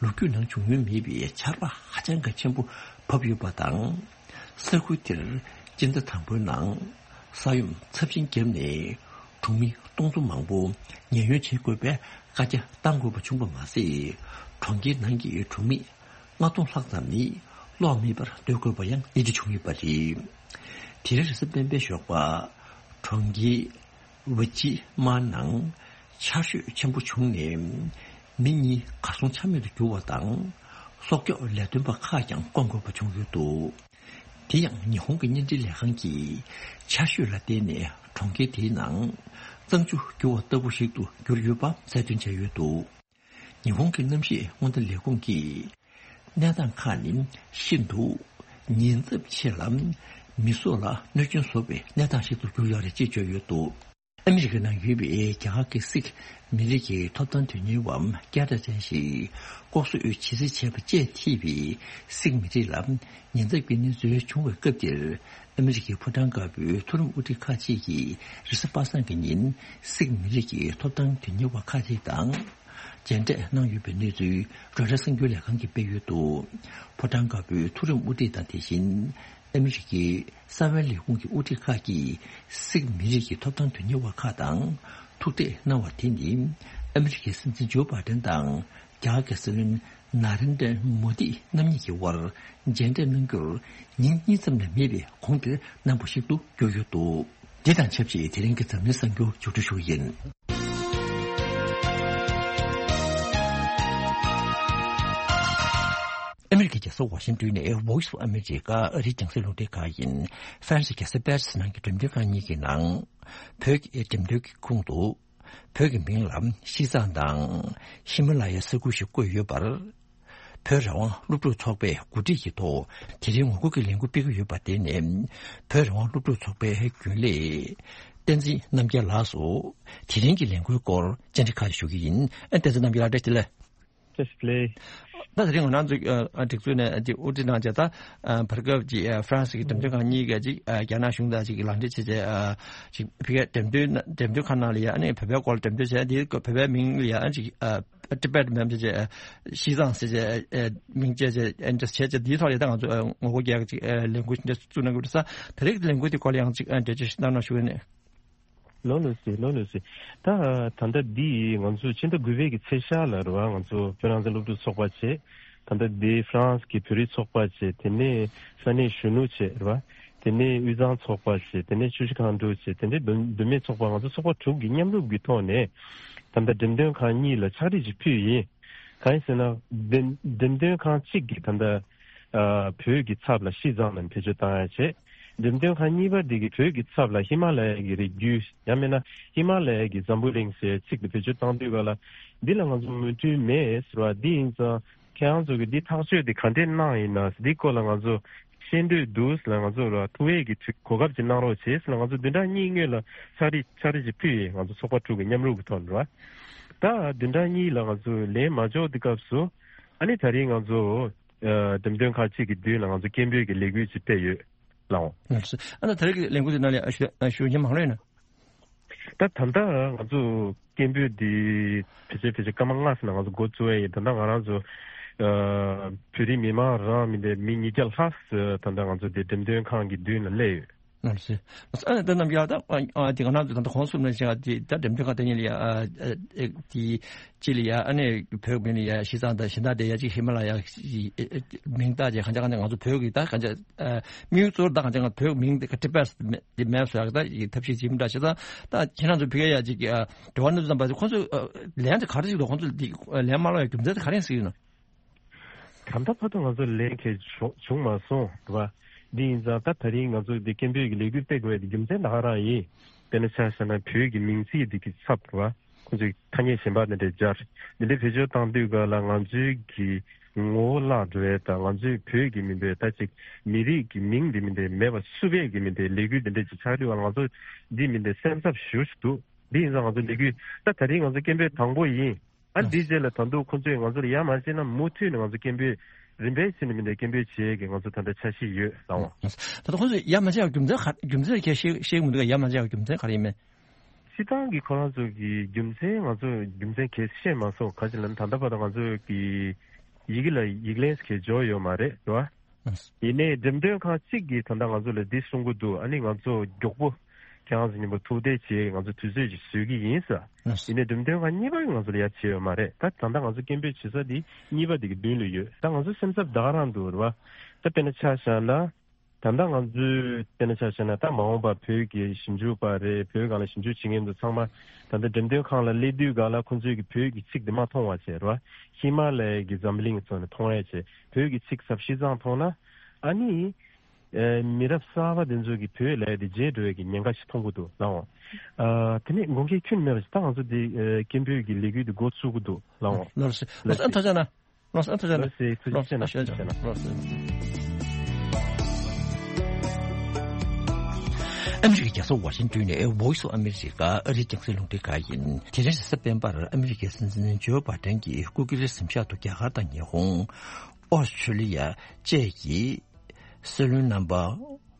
ལོ་རྒྱུས་ནང་བྱུང་མྱོང་མེད་པའི་ཆར་པ་ཧ་ཅང་གི་ཆེན་པོ་བབས་ཡོད་པ་དང་། ས་ཁུལ་དེར་སྤྱི་ཟླ་དང་པོའི་ནང་ས་ཡོམ་ཚབས་ཆེན་བརྒྱབ་ནས་གྲོང་མི་སྟོང་ཚོ་མང་པོ་ཉེན་གཡོལ་བྱེད་དགོས་པའི་བཀའ་རྒྱ་བཏང་དགོས་པ་བྱུང་བ་མ་ཟད། གྲོང་ཁྱེར་ནང་གི་གྲོང་མི་ལྔ་སྟོང་ལྷག་ཙམ་ནི་གློག་མེད་པར་སྡོད་དགོས་པ་ཡང་གནས་འདྲི་བྱུང་ཡོད་པ་རེད། དེ་རིང་རེས་གཟའ་སྤེན་པའི་ཞོགས་པ་གྲོང་ཁྱེར་ཝི་ཅི་མ་ནང་ཆར་ཞོད་ཆེན་པོ་བྱུང་ནས་མི་གཉིས་གར་སོང་ཆ་མེད་དུ་གྱུར་བ་དང་། སྲོག་སྐྱོབ་ལས་དོན་པ་ཁག་ཀྱང་བསྐོང་དགོས་པ་བྱུང་ཡོད་འདུག། དེ་ཡང་ཉི་ཧོང་གི་བརྙན་འཕྲིན་ལས་ཁང་གིས་ཆར་ཞོད་ལ་བརྟེན་ནས་གྲོང་ཁྱེར་དེའི་ནང་གཙང་ཆུ་རྒྱུ་བ་ལྟ་བུ་ཞིག་ཏུ་གྱུར་ཡོད་པ་གསལ་སྟོན་བྱས་ཡོད་འདུག། ཉི་ཧོང་གི་གནམ་གཤིས་སྔོན་བརྡ་ལས་ཁུངས་ཀྱིས་གནས་སྟངས་ཁག་ནི་ཤིན་ཏུ་ཉེན་ཚབས་ཆེ་ལ། མི་སྲོག་ལ་གནོད་སྐྱོན་བཟོ་བའི་གནས་སྟངས་ཤིག་ཏུ་གྱུར་ཡོད་རེད་ཅེས་བརྗོད་ཡོད་འདུག། ཨ་མི་རི་ཀའི་ནང་ཡོད་པའི་རྒྱ་གར་གྱི་སིག་མི་རིགས་ཀྱི་ཐོབ་ཐང་དོན་གཉེར་བ་སྐད་གྲགས་ཅན་ཞིག་ལྐོག་གསོད་བྱེད་རྩིས་བྱས་པ་བཅས་ཐེ་བའི་སིག་མི་རིགས་ལ་ཉེན་ཚབས་ཀྱི་གནས་ཚུལ་བྱུང་བའི་སྐབས་དེར། ཨ་མི་རི་ཀའི་ཕོ་བྲང་དཀར་པོའི་མཐོ་རིམ་དབུ་ཁྲིད་ཁག་ཅིག་གིས་རེས་གཟའ་པ་སངས་ཀྱི་ཉིན་སིག་མི་རིགས་ཀྱི་ཐོབ་ཐང་དོན་གཉེར་བ་ཁག་ཅིག་དང་མཇལ་འཕྲད་གནང་ཡོད་པའི་གནས་ཚུལ་རོའི་ཊར་གསར་འགྱུར་ལས་ཁང་གིས་སྤེལ་ཡོད་འདུག། ཕོ་བྲང་དཀར་པོའི་མཐོ་རིམ་དབུ་ཁྲིད་དང་། དེ་བཞིན་ཨ་མི་རི་ཀའི་གསང་བའི་ལས་ཁུངས་ཀྱི་དབུ་ཁྲིད་ཁག་གིས་སིག་མི་རིགས་ཀྱི་ཐོབ་ཐང་དོན་གཉེར་བ་ཁག་དང་ཐུག་འཕྲད་གནང་བ་དེ་ནི། ཨ་མི་རི་ཀའི་སྲིད་འཛིན་ཇོ་བྷའི་ཌེན་དང་རྒྱ་གར་གྱི་སྲིད་བློན་ནཱ་རེན་དྲ་མོ་དི་རྣམ་གཉིས་ཀྱི་དབར་མཇལ་འཕྲད་གནང་རྒྱུར་ཉིན་གཉིས་ཙམ་ལས་མེད་པའི་གོང་དེར་གནང་བ་ཞིག་ཏུ་གྱུར་ཡོད་འདུག། འདི་དང་ཆབས་ཅིག་དེ་རིང་གི་འཛམ་གླིང་གསར་འགྱུར་མཇུག་སྒྲིལ་ཞུ་གི་ཡིན། ཨ་མི་རི་ཀའི་རྒྱལ་ས་ཝ་ཤིང་ཏོན་ནས་Voice of America ཨ་རིའི་རྒྱང་སྲིང་རླུང་འཕྲིན་ཁང་ཡིན། ཧྥ་རན་སིའི་རྒྱལ་ས་པེ་རི་སི་ནང་གི་འགྲེམས་སྟོན་ཁང་གཉིས་ཀྱི་ནང་། བོད་ཀྱི་འགྲེམས་སྟོན་གྱི་ཁོངས་སུ། བོད་ཀྱི་མིང་ལ་ཤིས་ཙང་དང་ཧི་མ་ལ་ཡའི་ས་ཁུལ་ཞེས་བཀོད་ཡོད་པར། བོད་རང་དབང་སློབ་ཕྲུག་ཚོགས་པས་གོ་སྒྲིག་གི་ཐོག་དེ་རིང་ངོ་རྒོལ་གྱི་ལས་འགུལ་སྤེལ་གྱི་ཡོད་པ་དེ་ནི། བོད་རང་དབང་སློབ་ཕྲུག་ཚོགས་པའི་རྒྱུན་ལས་བསྟན་འཛིན་རྣམ་རྒྱལ་ལགས་སུ་དེ་རིང་གི་ལས་འགུལ་སྐོར་བཅར་འདྲི་ཁག་ཞུ་གི་ཡིན། ཨ། བསྟན་འཛིན་རྣམ་རྒྱལ་ལགས། བཀྲ་ཤིས་བདེ་ལེགས། བཀྲ་ཤིས་བདེ་ལེགས། ད་དེ་རིང་ང་རང་ཚོའི་ཨ་སྒྲིག་འཛུགས་ནས་ཨ་ཅིག་དབུ་ཁྲིད་གནང་བྱས། ད་ཨ་བར་སྐབས་ཀྱི་ཨ་ཧྥ་རན་སི་གི་འགྲེམས་སྟོན་ཁང་གཉིས་ཀས་ཅིག་ཨ་རྒྱ་ནག་གཞུང་དང་ཅིག་ལག་འབྲེལ་བྱས་བྱས། ཨ་ཅིག་ཕ་གིའི་འགྲེམས་སྟོན་འགྲེམས་སྟོན་ཁང་ནང་ལ་ཡ། ཨ་ནི་བོད་པའི་སྐོར་ལ་འགྲེམས་སྟོན་བྱས། དེའི་བོད་པའི་མིང་ལ་ཡ་ཨ་ཅིག་ཨ་ཊི་བེཊ་མིམ་བྱས་བྱས། ཨ་ཤིས་ཙང་ཟེར་བྱས། ཨ་མིང་བཅས་བྱས། ཨ་འདྲ་བྱས་བྱས། དེའི་ཐོག་ལ་ད་ང་ཚོ་ཨ་ངོ་རྒོལ་རྒྱག་ཅིག་ཨ་ལས་འགུལ་འདྲ་བཙུགས་གནང་གི་འདུག་ས། དེ་རིང་གི་ལས་འགུལ་དེ་སྐོར་ལ་ཡང་ཅིག་ཨ་འགྲེལ་བརྗོད་ཞིག་གནང་རོགས་ཞུ་གི་ཡིན། ལགས་ལགས་སེ། ལགས་ལགས་སེ། ད་ད་ལྟ་འདི་ང་ཚོ་ཕྱི་ཟླ་དགུ་པའི་གི་ཚེས་ཤར་ལ་རེད་བ། ང་ཚོ་བོད་རང་བཙན་སློབ་ཕྲུག་ཚོགས་པ་བྱས། ད་ལྟ་འདི་ཧྥ་རན་སི་གི་བོད་རིགས་ཚོགས་པ་བྱས། དེ་ནས་ས་གནས་གཞོན་ནུ་བྱས་རེད་བ། དེ་ནས་དབུས་གཙང་ཚོགས་པ་བྱས། དེ་ནས་ཆུ་བཞི་སྒང་དྲུག་བྱས། དེ་འདྲའི་མདོ་མདོ་སྨད་ཚོགས་པ། ང་ཚོ་ཚོགས་པ་དྲུག་གི་མཉམ་རུབ་ཀྱི་ཐོག་ནས་ད་ལྟ་འགྲེམས་སྟོན་ཁང་གཉིས་ལ་ཕྱག་བྲིས་ཅིག་ཕུལ་ཡིན། གང་ཡིན་ཟེར་ན། འགྲེམས་འགྲེམས་སྟོན་ཁང་གཅིག་གིས་ད་ལྟ་ཨ་བོད་ཀྱི་ཚབ་ལ་ཤིས་ཙང་ལ་བེད་སྤྱོད་བཏང་ཡ་བྱས། འགྲེམས་སྟོན་ཁང་གཉིས་པ་འདི་གིས་བོད་ཀྱི་ཚབ་ལ་ཧི་མ་ལ་ཡ་གི་རི་རྒྱུད། ཡང་མིན་ན་ཧི་མ་ལ་ཡ་གི་འཛམ་བུ་གླིང་ཟེར་ཚིག་འདི་བེད་སྤྱོད་བཏང་དུས་ག་ལ། འདི་ལ་ང་ཚོ་མོས་མཐུན་མེད་ཟེར་བ། འདི་ཡིན་ཙང་ཁྱེད་རང་ཚོ་གིས་འདི་ཐག་གཅོད་འདི་ག་འདྲས་གནང་ཡིན་ན། འདི་སྐོར་ལ་ང་ཚོ་ཤེས་འདོད་འདུག་ཟེར་ལ། ང་ཚོ་ལ་ཐུགས་འོས་ཀྱི་དུས་གོ་སྐབས་ཅིག་གནང་རོགས་བྱེད་ཟེར་ལ། ང་ཚོ་བདུན་ཕྲག་གཉིས་སྔོན་ལ་ཕྱག་བྲིས་ཕྱག་བྲིས་ཅིག་ཕུལ་ཡིན། ང་ཚོ་ཚོགས་པ་དྲུག་གི་མཉམ་རུབ་ཀྱི་ཐོག་ནས་རེད་བ། ད་བདུན་ཕྲག་གཉིས་ལ་ང་ཚོ་ལན་མ་འབྱོར་དུས་སྐབས་སུ། ཨ་ནི་ད་རིང་ང་ཚོ་ འགྲེམས་སྟོན་ཁང་གཅིག་གི་མདུན་ལ་ང་ཚོ་སྐད་འབོད་ཀྱི་ལས་འགུལ་ཅིག་སྤེལ་ཡོད་ལགས། ཨ་ད་ད་རེས་ཀྱི་ལས་འགུལ་དེ་ནང་ལ་ཞུ་ཞུ་མཁན་མང་རེད་ན། ད་ད་ལྟ་ང་ཚོ་སྐད་འབོད་འདི་ཕལ་ཆེར་ཕལ་ཆེར་སྐར་མ་ལྔ་ཙམ་ནང་ང་ཚོ་འགོ་བཙུགས་ཡས་ཡིན། ད་ལྟ་ང་རང་ཚོ་བོད་རིགས་མི་མང་རང་མི་འདྲ་མི་ཉིས་བརྒྱ་ལྷག་ཙམ་ད་ལྟ་ང་ཚོ་འདི་འགྲེམས་སྟོན་ཁང་གི་མདུན་ལ་སླེབས་ཡོད། ཨ་ནི་ད་རྣམ་རྒྱལ་ད་ཨ་དེ་ག་ནང་དུ་ད་ལྟ་གོང་གསུམ་ལ་བྱས་ཏེ་ད་འགྲེམས་སྟོན་ཁང་དེ་ཉིད་ལ་ཡ་ཨ་ཨ་དེ་སྤྱི་ལ་ཡ་ཨ་ནི་བོད་མི་ལ་ཡ་ཤི་ཙང་དང་གཞན་དག་དེ་ཡ་གཅིག་ཧི་མ་ལ་ཡ་མིང་བཏགས་རྗེས་གང་ཅག་གང་ཅག་ང་ཚོ་བོད་ཀྱི་ད་གང་ཅག་དམིགས་ཡུལ་གཙོ་བོ་ད་གང་ཅག་ང་བོད་མིང་དེ་ཀ་ཏི་པས་དེ་མེད་སོ་ཡག་ད་ཡི་ཐབས་ཤེས་ཇི་མི་འདྲ་བྱས་ཙང་ད་ཁྱེད་རང་ཚོ་ཕ་གིར་ཡ་གཅིག་འབྲེལ་བ་གནང་དུས་ཙམ་པ་ཁོང་ཚོ་ལན་དེ་ག་རེ་ཞིག་འདུག་ཁོང་ཚོ་ལན་མ་སློག་ཡ་རྒྱུ་མཚན་དེ་ག་རེ་ཡིན་ཟེར་ཡོད་ན། ད་ལྟ་བར་དུ་ང་ཚོ་ལན་གང་ཡང་བྱུང་མ་སོང་རེད་བ། འདི་ཡིན་ཙང་ད་ད་རིང་ང་ཚོ་འདི་སྐད་འབོད་ཀྱི་ལས་འགུལ་སྤེལ་དགོས་ཡ་དེ་རྒྱུ་མཚན་ད་ག་རང་ཡིན། དཔེར་ན་ཆ་བཞག་ན་བོད་ཀྱི་མིང་ཚིག་འདི་གི་ཚབ་རེད་བ། ཁོང་ཚོས་ཐ་སྙད་གཞན་པ་འདི་འདྲ་སྦྱར། འདི་འདྲའི་བེད་སྤྱོད་བཏང་དུས་ག་ལ་ང་ཚོའི་གི་ངོ་བོ་བརླག་འགྲོ་ཡ་དང་ང་ཚོའི་བོད་ཀྱི་མི་འདྲ་ད་ཅིག་མི་རིགས་ཀྱི་མིང་འདི་མི་འདྲ་མེད་པ་བསུབ་ཡས་ཀྱི་མི་འདྲ་ལས་འགུལ་འདི་འདྲ་ཅིག་ཆགས་དུས་ག་ལ་ང་ཚོ་འདི་མི་འདྲ་སེམས་འཚབ་ཞེ་པོ་ཅིག་འདུག་འདི་ཡིན་ཙང་ང་ཚོ་ལས་འགུལ་ད་ད་རིང་ང་ཚོ་སྐད་འབོད་དང་པོ་ཡིན། ཨ་འདིའི་རྗེས་ལ་ད་དུང་ཁོང་ཚོས་ང་ཚོ་ལ་ཡ་མ་བྱས་ན་མུ་མཐུད་ནས་ང་ཚོ་སྐད་འབོད་རིམ་པས་བྱས་ནས་མི་འདྲ་སྐད་འབོད་བྱེད་ཀྱི་ང་ཚོ་ད་ལྟ་འཆར་གཞི་ཡོད་ལགས། ད་ལྟ་ཁོང་ཚོས་ཡ་མ་བྱས་པའི་རྒྱུ་མཚན་ག་རྒྱུ་མཚན་ག་ཤེས་ཤེས་མི་འདུག་ཡ་མ་བྱས་པའི་རྒྱུ་མཚན་ག་རེ་ཡིན་མིན། སྤྱིར་བཏང་གི་ཁོ་རང་ཚོ་གི་རྒྱུ་མཚན་ང་ཚོ་རྒྱུ་མཚན་ག་ཤེས་མ་སོང་ག་ཅི་ལ་ད་ལྟ་བར་དུ་ང་ཚོ་གི་ཡི་གེ་ལ་ཡིག་ལན་ག་འབྱོར་ཡོད་མ་རེད་རེད་བ། ཡིན་ནའི་འགྲེམས་སྟོན་ཁང་གཅིག་གིས་ད་ལྟ་ང་ཚོ་ལ་འདི་གསུང་གི་འདུག་ཨ་ནི་ང་ཚོ་མགྱོགས་པོ་ཁྱེད་རང་ཚོ་མཉམ་པོ་ཐུག་འཕྲད་བྱེད་ང་ཚོ་དུས་ཚོད་ཅིག་བཟོ་གི་ཡིན་ཟེར། ཡིན་ནའི་འགྲེམས་སྟོན་ཁང་གཉིས་པ་ང་ཚོ་ལ་ཡ་བྱས་ཡོད་མ་རེད། ད་ད་ལྟ་ང་ཚོ་སྐད་འབོད་བྱེད་ས་འདི་གཉིས་པ་འདི་གི་མདུན་ལ་ཡོད། ད་ང་ཚོ་སེམས་འཚབ་ད་ག་རང་འདུག་རེད་བ། ད་དཔེར་ན་ཆ་བཞག་ན་ད་ལྟ་ང་ཚོའི་དཔེར་ན་ཆ་བཞག་ན་ད་མ་འོངས་པ་བོད་ཀྱི་ཞིབ་འཇུག་པ་རེད། བོད་སྒང་ལ་ཞིབ་འཇུག་བྱེད་མཁན་ཚོ་ཚང་མ་ད་ལྟ་འགྲེམས་སྟོན་ཁང་ལ་སླེབས་དུས་སྒང་ལ་ཁོང་ཚོས་ཀྱི་བོད་ཀྱི་ཚིག་འདི་མ་མཐོང་བ་བྱས་རེད་བ། ཧི་མ་ལ་ཡའི་གི་འཛམ་གླིང་ཚོ་ནས་མཐོང་ཡ་བྱས་བོད་ཀྱི་ཚིག་ཟབ་ཤིང་ཙང་མཐོང་ན་ཨ་ནི། ཨེ། མི་རབས་གསར་པ་དེ་ཚོ་གིས་བོད་ལབ་ཡ་དེ་བརྗེད་འགྲོ་ཡ་གི་ཉེན་ཁ་ཞིག་མཐོང་གི་འདུག་ལགས། ཨ། དེ་ནས་དགོངས་འགལ་ཁྱོན་ནས་མེད་པ་ཞིག་ད་ང་ཚོ་འདི་ཨེ། སྐད་འབོད་ཀྱི་ལས་འགུལ་འདི་འགོ་ཚུགས་ཀྱི་འདུག་ལགས། ལགས་སོ། ལགས་སོ། ཨ་ཐུགས་རྗེ་གནང་། ལགས་སོ། ཨ་ཐུགས་རྗེ་གནང་། ལགས་སོ། ཐུགས་རྗེ་ཆེ་གནང་། ལགས་སོ། ཐུགས་རྗེ་ཆེ་གནང་། ལགས་སོ། ཨ་མི་རི་ཀའི་རྒྱལ་ས་ཝ་ཤིང་ཏོན་ནས་Voice of America ཨ་རིའི་རྒྱང་སྲིང་རླུང་འཕྲིན་ཁང་ཡིན། དེ་རིང་རེས་གཟའ་སྤེན་པར་ཨ་མི་རི་ཀའི་སྲིད་འཛིན་ཇོ་བྷའི་ཌེན་གྱིས་སྐུ་སྒེར་གཟིམ་ཤག་ཏུ་རྒྱ་གར་དང་ཉི་ཧོང་། ཨོ་སི་ཁྲུ་ལི་ཡ་བཅས་ཀྱི་སྲིད་བློན་རྣམ་པ་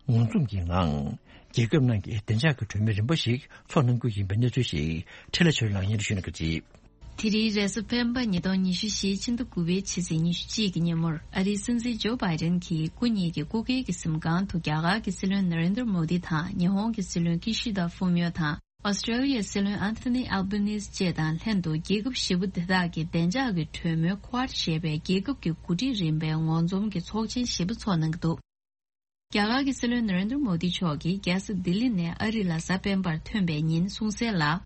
ངོ་འཛོམས་ཀྱི་ངང་། རྒྱལ་ཁབ་ནང་གི་བདེ་འཇགས་ཀྱི་གྲོས་མོལ་རིམ་པ་ཞིག་ཚོགས་གནང་རྒྱུ་ཡིན་པའི་གནས་ཚུལ་ཞིག་འཕྲིན་ལས་ཆོས་ལགས་སྙན་སྒྲོན་ཞུ་གནང་གི་རེད། དེ་རིང་རེས་གཟའ་སྤེན་པ་ཉིས་སྟོང་ཉི་ཤུ་རྩ་བཞིའི་ཕྱི་ཟླ་དགུ་པའི་ཕྱི་ཚེས་ཉི་ཤུ་གཅིག་གི་ཉིན་མོར་ཨ་རིའི་སྲིད་འཛིན་ཇོ་བྷའི་ཌེན་གྱིས་སྐུ་ཉིད་ཀྱི་སྐུ་སྒེར་གྱི་གཟིམ་ཁང་དུ་རྒྱ་གར་གྱི་སྲིད་བློན་ན་རེན་དྲ་མོ་དི་དང་ཉི་ཧོང་གི་སྲིད་བློན་ཀི་ཤི་དཱ་ཧྥུ་མིའོ་དང་། ཨོ་སི་ཀྲེ་ལི་ཡའི་སྲིད་བློན་ཨན་ཐོ་ནི་ཨལ་བྷ་ནིས་བཅས་དང་ལྷན་དུ་རྒྱལ་ཁབ་བཞི་པོ་དེ་དག་གི་བདེ་འཇགས་ཀྱི་གྲོས་མོལ་ཁོ་ཝཱཌ་ཞེས་པའི་རྒྱལ་ཁབ་ཀྱི་འགོ་ཁྲིད་རིམ་པའི་ངོ་འཛོམས་ཀྱི་ཚོགས་ཆེན་བཞི་པ་འཚོགས་གནང་གི་འདུག་རྒྱ་གར་གྱི་སྲིད་བློན་ན་རེན་དྲ་མོ་དི་མཆོག་གིས་རྒྱལ་ས་ལྡི་ལི་ནས་ཨ་རི་ལ་གཟའ་སྤེན་པར་ཐོན་པའི་ཉིན་གསུངས་གསལ་ལ།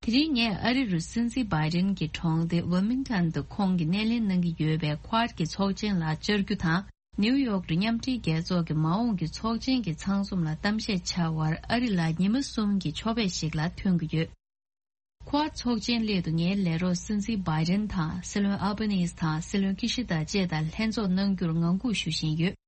དེ་རིང་ངས་ཨ་རི་རུ་སྲིད་འཛིན་བྷའི་ཌེན་གྱི་གྲོང་སྡེ་ཝིལ་མིང་ཊོན་དུ་ཁོང་གིས་སྣེ་ལེན་གནང་གི་ཡོད་པའི་ཁོ་ཝཱཌ་ཀྱི་ཚོགས་ཆེན་ལ་བཅར་རྒྱུ་དང་། ནིའུ་ཡོག་ཏུ་མཉམ་འབྲེལ་རྒྱལ་ཚོགས་ཀྱི་མ་འོངས་ཀྱི་ཚོགས་ཆེན་གྱི་ཚང་འཛོམས་ལ་གཏམ་བཤད་བྱ་བར་ཨ་རི་ལ་ཉི་མ་གསུམ་གྱི་ཕྱོགས་ཕེབས་ཤིག་ལ་ཐོན་གྱི་ཡོད། ཁོ་ཝཱཌ་ཚོགས་ཆེན་སླད་དུ་ངའི་ལས་རོགས་སྲིད་འཛིན་བྷའི་ཌེན་དང་སྲིད་བློན་ཨལ་བྷ་ནིས་དང་སྲིད་བློན་ཀི་ཤི་དཱ་བཅས་དང་ལྷན་ཚོགས་གནང་རྒྱུར་ངང་སྒུག་ཞུ་བཞིན་ཡོད།